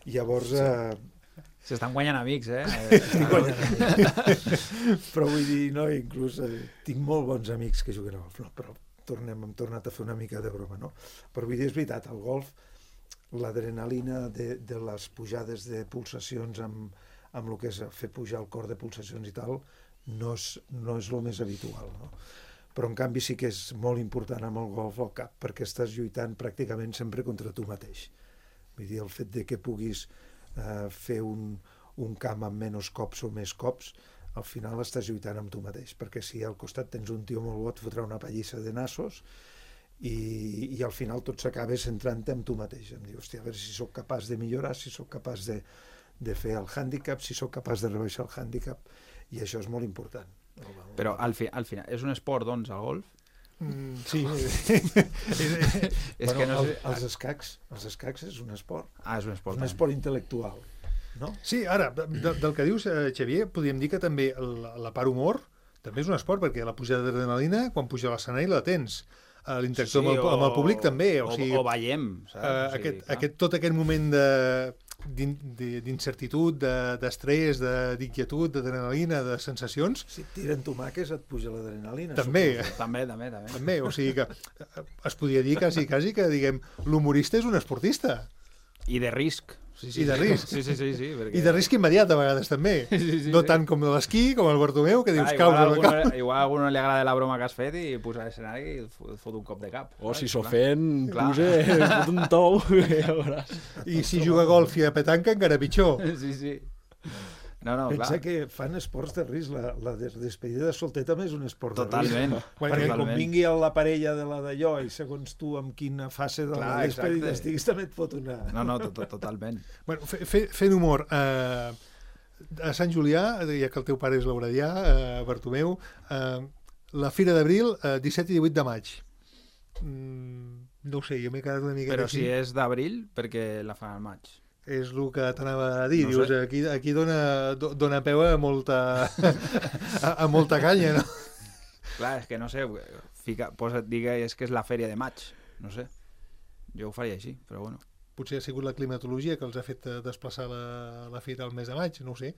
I llavors... Eh, S'estan guanyant amics, eh? Estic guanyant amics. Però vull dir, no, inclús eh, tinc molt bons amics que juguen al golf, no, però tornem, hem tornat a fer una mica de broma, no? Però vull dir, és veritat, el golf, l'adrenalina de, de les pujades de pulsacions amb, amb el que és fer pujar el cor de pulsacions i tal, no és, no és el més habitual, no? Però en canvi sí que és molt important amb el golf al cap, perquè estàs lluitant pràcticament sempre contra tu mateix. Vull dir, el fet de que puguis Uh, fer un, un camp amb menys cops o més cops, al final estàs lluitant amb tu mateix, perquè si al costat tens un tio molt bo et fotrà una pallissa de nassos i, i al final tot s'acaba centrant-te en tu mateix. Em dius, hòstia, a veure si sóc capaç de millorar, si sóc capaç de, de fer el hàndicap, si sóc capaç de rebaixar el hàndicap, i això és molt important. Però al, fi, al final, és un esport, doncs, el golf? Mm, sí. És bueno, que no sé... el, els escacs, els escacs és un esport. Ah, és un esport. És un esport intel·lectual, no? Sí, ara, de, del que dius, eh, Xavier, podríem dir que també la, la part humor també és un esport, perquè la pujada d'adrenalina, quan puja a l'escenari la tens. L'interacció sí, amb, el, amb el públic també. O, o, sigui, o veiem, saps? Uh, o sigui, aquest, aquest, tot aquest moment de d'incertitud, d'estrès, de, d'inquietud, d'adrenalina, de sensacions... Si et tiren tomaques et puja l'adrenalina. També. També, també, també. També, o sigui que es podria dir quasi, quasi que, diguem, l'humorista és un esportista. I de risc. Sí, sí, I de risc. Sí, sí, sí, sí, perquè... I de risc immediat a vegades també. Sí, sí, no sí. tant com l'esquí, com el Bartomeu, que dius, ah, caus a la cap. Igual a algú no li agrada la broma que has fet i puja a l'escenari i et fot un cop de cap. O si s'ofèn, puja, fot un tou. I si juga a golf i a petanca, encara pitjor. Sí, sí. No, no, Pensa clar. que fan esports de risc. La, la despedida de solter també és un esport Totalment. de risc. Perquè Totalment. com vingui la parella de la d'allò i segons tu amb quina fase de clar, la despedida exacte. estiguis també et fot una... No, no, to -to totalment. Bueno, fe, fe, fent humor, eh, a Sant Julià, ja que el teu pare és lauradià, eh, Bartomeu, eh, la Fira d'Abril, eh, disset i divuit de maig. Mm, no ho sé, jo m'he quedat una mica... Però així. si és d'abril, perquè la fan al maig. És el que t'anava a dir, no dius, sé. aquí, aquí dona, dona peu a molta, a, a molta canya, no? Clar, és que no sé, fica, posa, digues que és la fèria de maig, no sé. Jo ho faria així, però bueno. Potser ha sigut la climatologia que els ha fet desplaçar la, la fira al mes de maig, no ho sé.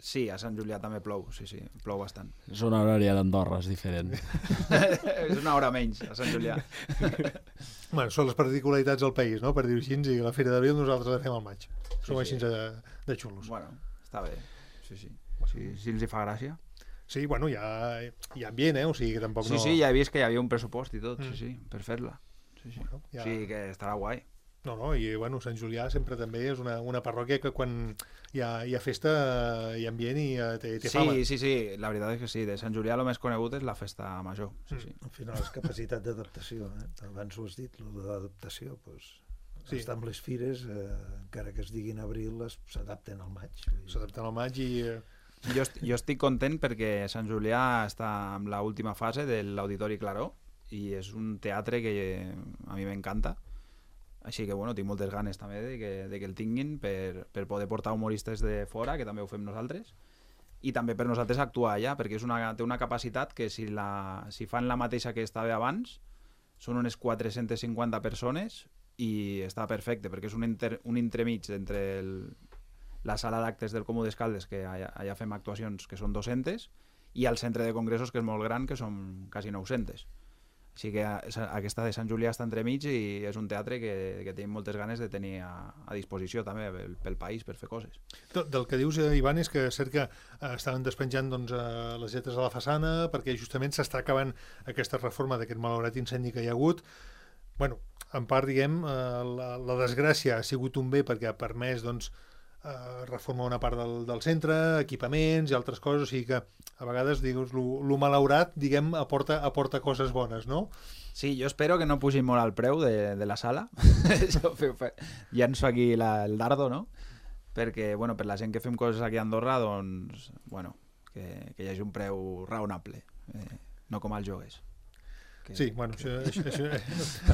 Sí, a Sant Julià també plou, sí, sí, plou bastant. Zona horària d'Andorra és diferent. És una hora menys, a Sant Julià. Bueno, són les particularitats del país, no?, per dir-ho així, i la Fira d'Abril nosaltres la fem al maig. Som Sí, així sí. de, de xulos. Bueno, està bé, sí, sí. Si, si els hi fa gràcia. Sí, bueno, hi ha, hi ha ambient, eh? O sigui que tampoc Sí, no... sí, ja he vist que hi havia un pressupost i tot, Mm. sí, sí, per fer-la. Sí, sí. Bueno, ja- O sigui que estarà guai. No, no, i bueno, Sant Julià sempre també és una, una parròquia que quan hi ha, hi ha festa eh, hi ha ambient i eh, té, té fama. Sí, sí, sí, la veritat és que sí. De Sant Julià el més conegut és la festa major. Sí, sí. Al final és capacitat d'adaptació, eh? Abans ho has dit, lo de l'adaptació, doncs, Sí. estar amb les fires, eh, encara que es diguin abril, es- s'adapten al maig. Vull dir, S'adapten al maig i... eh, Jo, est- jo estic content perquè Sant Julià està en la última fase de l'Auditori Claró i és un teatre que a mi m'encanta. Així que, bueno, tinc moltes ganes també de que, de que el tinguin per, per poder portar humoristes de fora, que també ho fem nosaltres, i també per nosaltres actuar allà, perquè és una, té una capacitat que si, la, si fan la mateixa que estava abans, són unes quatre-centes cinquanta persones i està perfecte, perquè és un, inter, un entremig entre el, la sala d'actes del Comú d'Escaldes, que allà, allà fem actuacions que són dues-centes, i el centre de congressos, que és molt gran, que són quasi nou-centes. Així que aquesta de Sant Julià està entremig i és un teatre que, que tenim moltes ganes de tenir a, a disposició també pel, pel país, per fer coses. Del, del que dius, eh, Ivan, és que és cert que eh, estaven despenjant doncs, eh, les lletres a la façana perquè justament s'està acabant aquesta reforma d'aquest malaurat incendi que hi ha hagut. Bueno, en part, diguem, eh, la, la desgràcia ha sigut un bé perquè ha permès doncs, eh, reformar una part del, del centre, equipaments i altres coses, o sigui que a vegades, digues, lo, lo malaurat, diguem, aporta, aporta coses bones, no? Sí, jo espero que no pugin molt el preu de, de la sala. Això, fe, fe, llanço aquí la, el dardo, no? Perquè, bueno, per la gent que fem coses aquí a Andorra, doncs, bueno, que, que hi hagi un preu raonable, eh, no com els joguers. Que, Sí, bueno, que... això, això,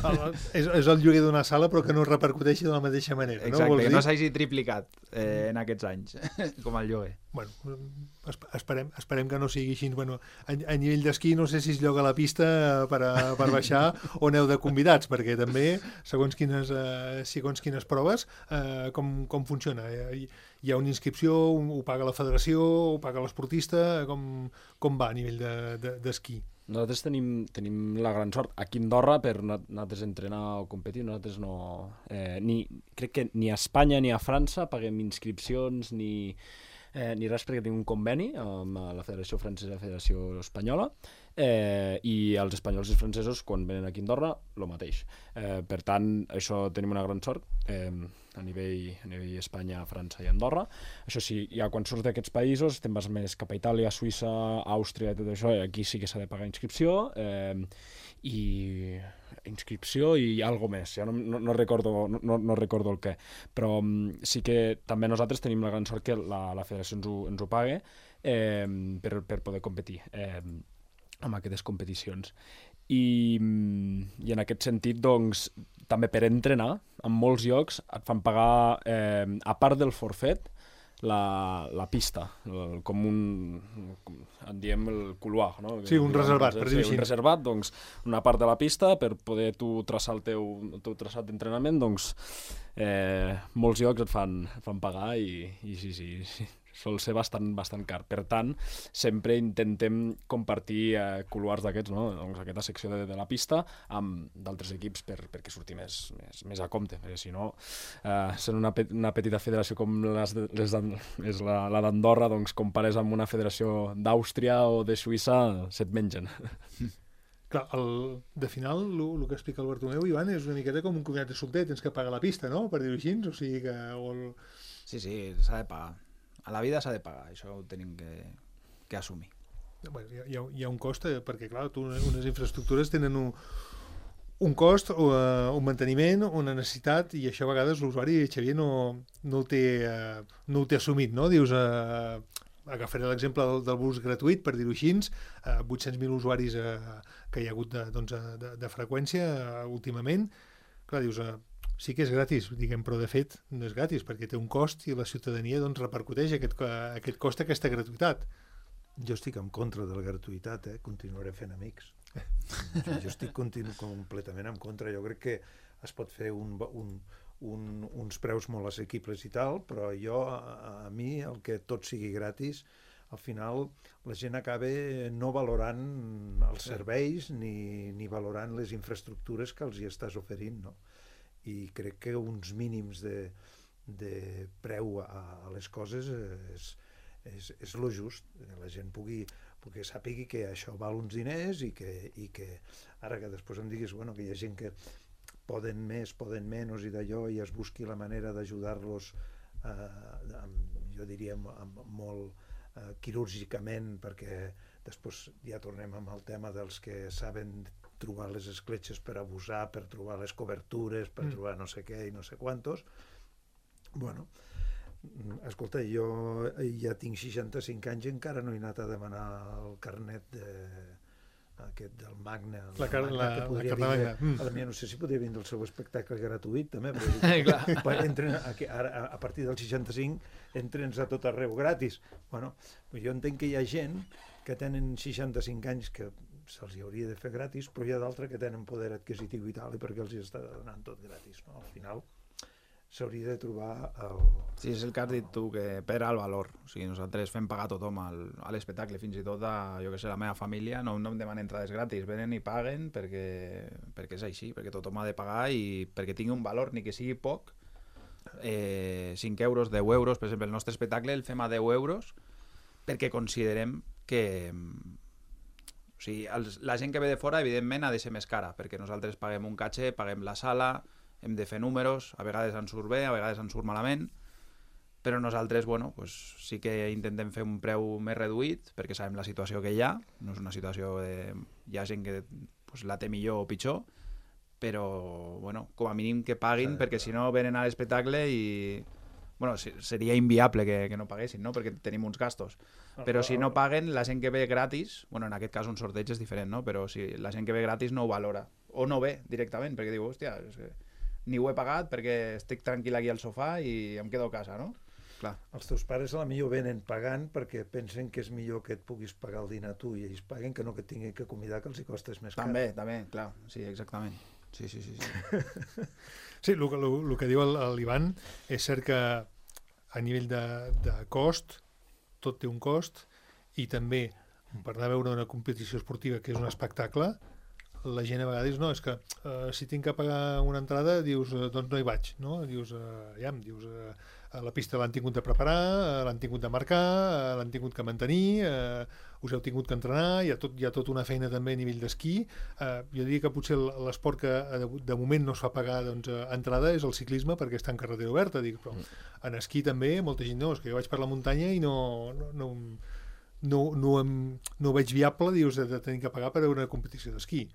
això és, és el lloguer d'una sala però que no repercuteixi de la mateixa manera. Exacte, no? Vols que dir? no s'hagi triplicat eh, en aquests anys, com el lloguer. Bueno, esp- esperem, esperem que no sigui així. Bueno, a, a nivell d'esquí no sé si es lloga la pista per, a, per baixar o aneu de convidats, perquè també, segons quines, eh, segons quines proves, eh, com, com funciona? Hi, hi ha una inscripció, ho paga la federació, ho paga l'esportista, com, com va a nivell de- de- d'esquí? Nosaltres tenim, tenim la gran sort aquí a Andorra per no- nosaltres entrenar o competir. Nosaltres no... Eh, ni, crec que ni a Espanya ni a França paguem inscripcions ni, eh, ni res perquè tenim un conveni amb la Federació Francesa i la Federació Espanyola eh, i els espanyols i els francesos quan venen aquí a Andorra el mateix. Eh, per tant, això tenim una gran sort. Eh, a nivell, a nivell Espanya, França i Andorra. Això sí, ja quan surts d'aquests països te'n vas més cap a Itàlia, Suïssa, Àustria i tot això, i aquí sí que s'ha de pagar inscripció eh, i inscripció i algo més, ja no, no, no, recordo, no, no recordo el què, però um, sí que també nosaltres tenim la gran sort que la, la federació ens ho, ens ho pague eh, per, per poder competir eh, amb aquestes competicions. I, i en aquest sentit, doncs, també per entrenar, en molts llocs et fan pagar, eh, a part del forfet, la, la pista, el, com un, com, en diem el couloir, no? Sí, un reservat, per dir-ho sí, així. un reservat, doncs, una part de la pista per poder tu traçar el teu, el teu traçat d'entrenament, doncs, eh, molts llocs et fan, et fan pagar i, i sí, sí, sí, sol ser bastant, bastant car. Per tant, sempre intentem compartir eh, couloirs d'aquests, no? Doncs aquesta secció de, de la pista amb d'altres equips per, perquè surti més, més, més a compte, perquè si no, eh, sent una, pet, una petita federació com les, de, les és la, la d'Andorra, doncs compares amb una federació d'Àustria o de Suïssa, se't mengen. Clar, el, de final, el que explica el Bartomeu, Ivan, és una miqueta com un comiat de solter, tens que pagar la pista, no?, per dir-ho així, o sigui que... O el... Sí, sí, s'ha de pagar. A la vida s'ha de pagar, això ho tenim que, que assumir. Bueno, hi, ha, hi ha un cost, eh, perquè clar, tu, unes infraestructures tenen un, un cost, uh, un manteniment, una necessitat, i això a vegades l'usuari, Xavier, no, no, ho té, uh, no ho té assumit, no? Dius, uh, agafaré l'exemple del, del bus gratuït, per dir-ho així, uh, vuit-cents mil usuaris uh, que hi ha hagut de, doncs, de, de freqüència uh, últimament. Clar, dius, uh, sí que és gratis, diguem, però de fet no és gratis, perquè té un cost i la ciutadania doncs, repercuteix aquest, aquest cost, aquesta gratuïtat. Jo estic en contra de la gratuïtat, eh? Continuaré fent amics. Jo estic continu completament en contra. Jo crec que es pot fer un, un, un, uns preus molt assequibles i tal, però jo, a, a mi, el que tot sigui gratis, al final la gent acaba no valorant els serveis ni, ni valorant les infraestructures que els hi estàs oferint, no? I crec que uns mínims de, de preu a, a les coses és, és, és lo just, que la gent pugui, pugui sàpigui que això val uns diners i que, i que ara que després em diguis bueno, que hi ha gent que poden més, poden menys i d'allò i es busqui la manera d'ajudar-los eh, jo diria amb, amb molt eh, quirúrgicament, perquè després ja tornem amb el tema dels que saben trobar les escletxes per abusar, per trobar les cobertures, per mm. trobar no sé què i no sé quantos. Bueno, escolta, jo ja tinc seixanta-cinc anys i encara no he anat a demanar el carnet de, aquest del Magna, la, car Magna la, que podria la vindre, mm. a mi no sé si podria vindre el seu espectacle gratuït també, però entren a, ara, a partir del seixanta-cinc entrens a tot arreu gratis. Bueno, jo entenc que hi ha gent que tenen seixanta-cinc anys que se'ls hauria de fer gratis, però hi ha d'altres que tenen poder adquisitiu i tal, i perquè els hi està donant tot gratis, no? Al final s'hauria de trobar el... Sí, és el que has dit tu, que perd el valor. O sigui, nosaltres fem pagar a tothom al, a l'espectacle, fins i tot a, jo que sé, la meva família, no, no em demanen entrades gratis, venen i paguen perquè, perquè és així, perquè tothom ha de pagar i perquè tingui un valor, ni que sigui poc. Eh, cinc euros, deu euros, per exemple, el nostre espectacle el fem a deu euros perquè considerem que... O sigui, els, la gent que ve de fora, evidentment, ha de ser més cara, perquè nosaltres paguem un caché, paguem la sala, hem de fer números, a vegades ens surt bé, a vegades ens surt malament, però nosaltres, bueno, pues, sí que intentem fer un preu més reduït, perquè sabem la situació que hi ha, no és una situació de... Hi ha gent que pues, la té millor o pitjor, però, bueno, com a mínim que paguin, sí, perquè si no venen a l'espectacle i... Bueno, seria inviable que, que no paguessin, no? Perquè tenim uns gastos. Però si no paguen, la gent que ve gratis, bueno, en aquest cas un sorteig és diferent, no? Però si la gent que ve gratis no ho valora. O no ve directament, perquè diu, hòstia, és que ni ho he pagat perquè estic tranquil aquí al sofà i em quedo a casa, no? Clar. Els teus pares a la millor venen pagant perquè pensen que és millor que et puguis pagar el dinar tu i ells paguen que no que tinguin que convidar que els hi costes més car. També, també, clar, sí, exactament. Sí, sí, sí. Sí, sí el, el, el que diu l'Ivan és cert que a nivell de, de cost, tot té un cost, i també per anar a veure una competició esportiva que és un espectacle, la gent a vegades no, és que uh, si tinc que pagar una entrada, dius, uh, doncs no hi vaig, no? Dius, uh, ja, dius, uh, a la pista l'han tingut de preparar, uh, l'han tingut de marcar, uh, l'han tingut que mantenir, uh, us heu tingut que entrenar, hi ha, tot, hi ha tota una feina també a nivell d'esquí. Uh, jo diria que potser l'esport que de, de moment no es fa pagar doncs, uh, entrada és el ciclisme perquè està en carretera oberta, dic, però en esquí també molta gent no, és que jo vaig per la muntanya i no... no, no no, no, em, no ho veig viable, dius, de, de tenir que pagar per una competició d'esquí.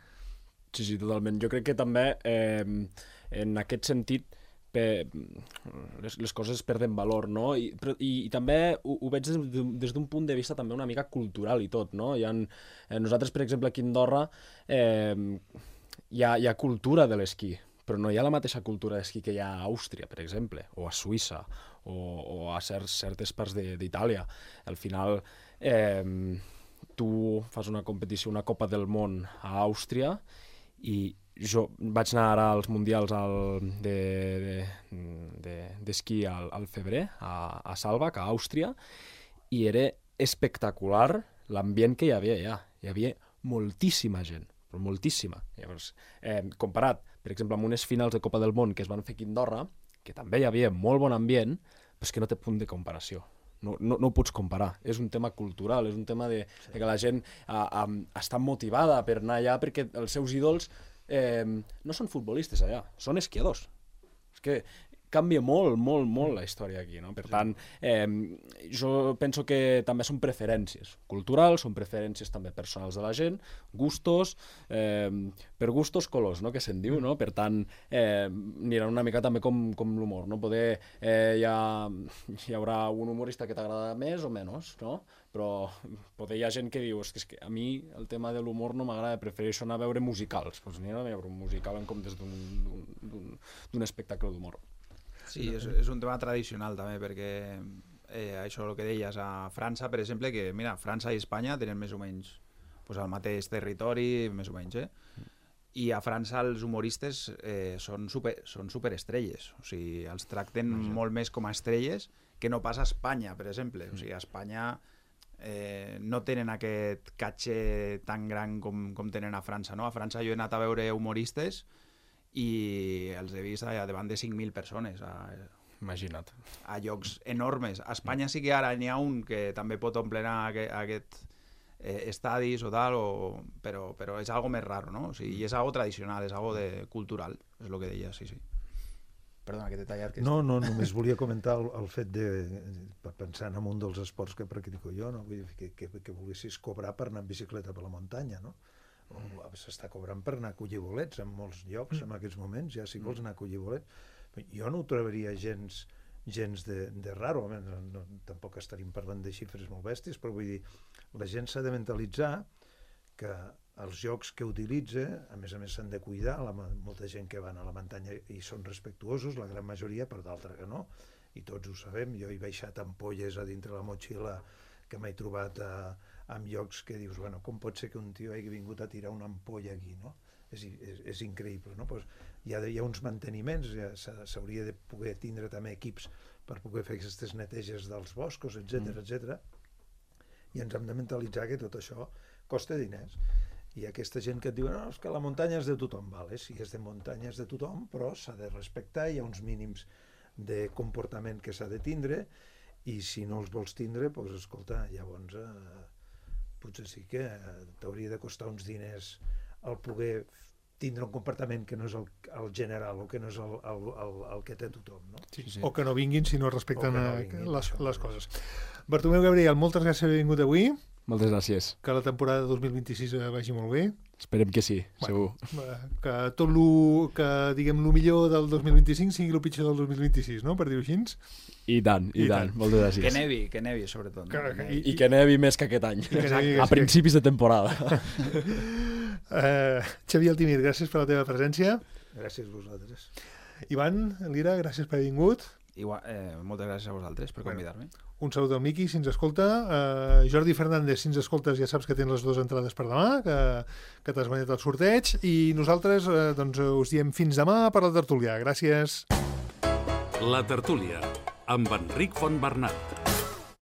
Sí, sí, totalment. Jo crec que també, eh, en aquest sentit, per, les, les coses perden valor, no? I, però, i, i també ho, ho veig des d'un punt de vista també una mica cultural i tot, no? Hi ha, eh, nosaltres, per exemple, aquí a Andorra, eh, hi, ha, hi ha cultura de l'esquí, però no hi ha la mateixa cultura d'esquí que hi ha a Àustria, per exemple, o a Suïssa, o, o a certs, certes parts d'Itàlia. Al final, eh, tu fas una competició, una Copa del Món a Àustria, i jo vaig anar ara als mundials al, de, de, d'esquí de, al, al febrer, a, a Saalbach, a Àustria, i era espectacular l'ambient que hi havia allà. Hi havia moltíssima gent, però moltíssima. Llavors, eh, comparat, per exemple, amb unes finals de Copa del Món que es van fer aquí a Andorra, que també hi havia molt bon ambient, però és que no té punt de comparació. No, no, no ho pots comparar. És un tema cultural, és un tema de, de que la gent a, a, està motivada per anar allà perquè els seus ídols eh, no són futbolistes allà, són esquiadors. És que canvia molt, molt, molt la història aquí, no? Per tant, eh, jo penso que també són preferències culturals, són preferències també personals de la gent, gustos, eh, per gustos colors, no? Que se'n diu, no? Per tant, eh, anirà una mica també com, com l'humor, no? Poder, eh, hi, ha, hi haurà un humorista que t'agrada més o menys, no? Però poder hi ha gent que diu, és que, és que a mi el tema de l'humor no m'agrada, prefereixo anar a veure musicals, doncs anirà a veure un musical en comptes d'un espectacle d'humor. Sí, és, és un tema tradicional també, perquè eh, això el que deies, a França, per exemple, que mira, França i Espanya tenen més o menys pues, el mateix territori, més o menys, eh? I a França els humoristes eh, són, super, són superestrelles, o sigui, els tracten molt més com a estrelles que no pas a Espanya, per exemple. O sigui, a Espanya eh, no tenen aquest catxer tan gran com, com tenen a França, no? A França jo he anat a veure humoristes i els he vist a, davant de cinc mil persones, a, Imagina't. a llocs enormes. A Espanya sí que ara n'hi ha un que també pot omplenar aquest, aquest eh, estadis o tal, o, però, però és algo més raro, no? O sigui, i és algo tradicional, és algo de, cultural, és el que deia, sí, sí. Perdona, que t'he tallat. Que no, no, només volia comentar el, el fet de, pensant en un dels esports que practico jo, no? Vull dir, que, que, que volguessis cobrar per anar en bicicleta per la muntanya, no? S'està cobrant per anar a collir bolets en molts llocs en aquests moments, ja si vols anar a collir bolets. Jo no ho trobaria gens, gens de, de raro, no, no, tampoc estaríem parlant de xifres molt bèsties, però vull dir, la gent s'ha de mentalitzar que els jocs que utilitza, a més a més s'han de cuidar, la, molta gent que van a la muntanya i són respectuosos, la gran majoria, però d'altra que no, i tots ho sabem. Jo he baixat ampolles a dintre la motxilla que m'he trobat a, en llocs que dius, bueno, com pot ser que un tio hagi vingut a tirar una ampolla aquí, no? És, és, és increïble, no? Pues hi, ha, hi ha uns manteniments, ja s'hauria de poder tindre també equips per poder fer aquestes neteges dels boscos, etcètera, mm. etcètera. I ens hem de mentalitzar que tot això costa diners. I aquesta gent que et diu, no, és que la muntanya és de tothom, vale? Sí, és de muntanya, és de tothom, però s'ha de respectar, hi ha uns mínims de comportament que s'ha de tindre, i si no els vols tindre, doncs escolta, llavors eh, potser sí que eh, t'hauria de costar uns diners el poder tindre un comportament que no és el, el general o que no és el, el, el, el que té tothom, no? Sí, sí. O que no vinguin si no respecten no vinguin, les, això, les coses. Bartomeu Gabriel, moltes gràcies per haver vingut avui. Moltes gràcies. Que la temporada dos mil vint-i-sis vagi molt bé. Esperem que sí, bueno, segur. Que tot lo, que diguem lo millor del dos mil vint-i-cinc sigui el pitjor del dos mil vint-i-sis, no? Per dir-ho així. I tant, i, I tant. tant. Moltes gràcies. Que nevi, que nevi, sobretot. No? Que, que i, I que nevi més que aquest any. Que nevi, a principis de temporada. uh, Xavier Altimir, gràcies per la teva presència. Gràcies a vosaltres. Ivan, Lira, gràcies per haver vingut. Igual, eh, moltes gràcies a vosaltres per convidar-me. Un salut al Miqui, si ens escolta. Uh, Jordi Fernández, si ens escoltes, ja saps que tens les dues entrades per demà, que, que t'has guanyat el sorteig. I nosaltres uh, doncs, us diem fins demà per la tertúlia. Gràcies. La tertúlia, amb Enric Fontbernat.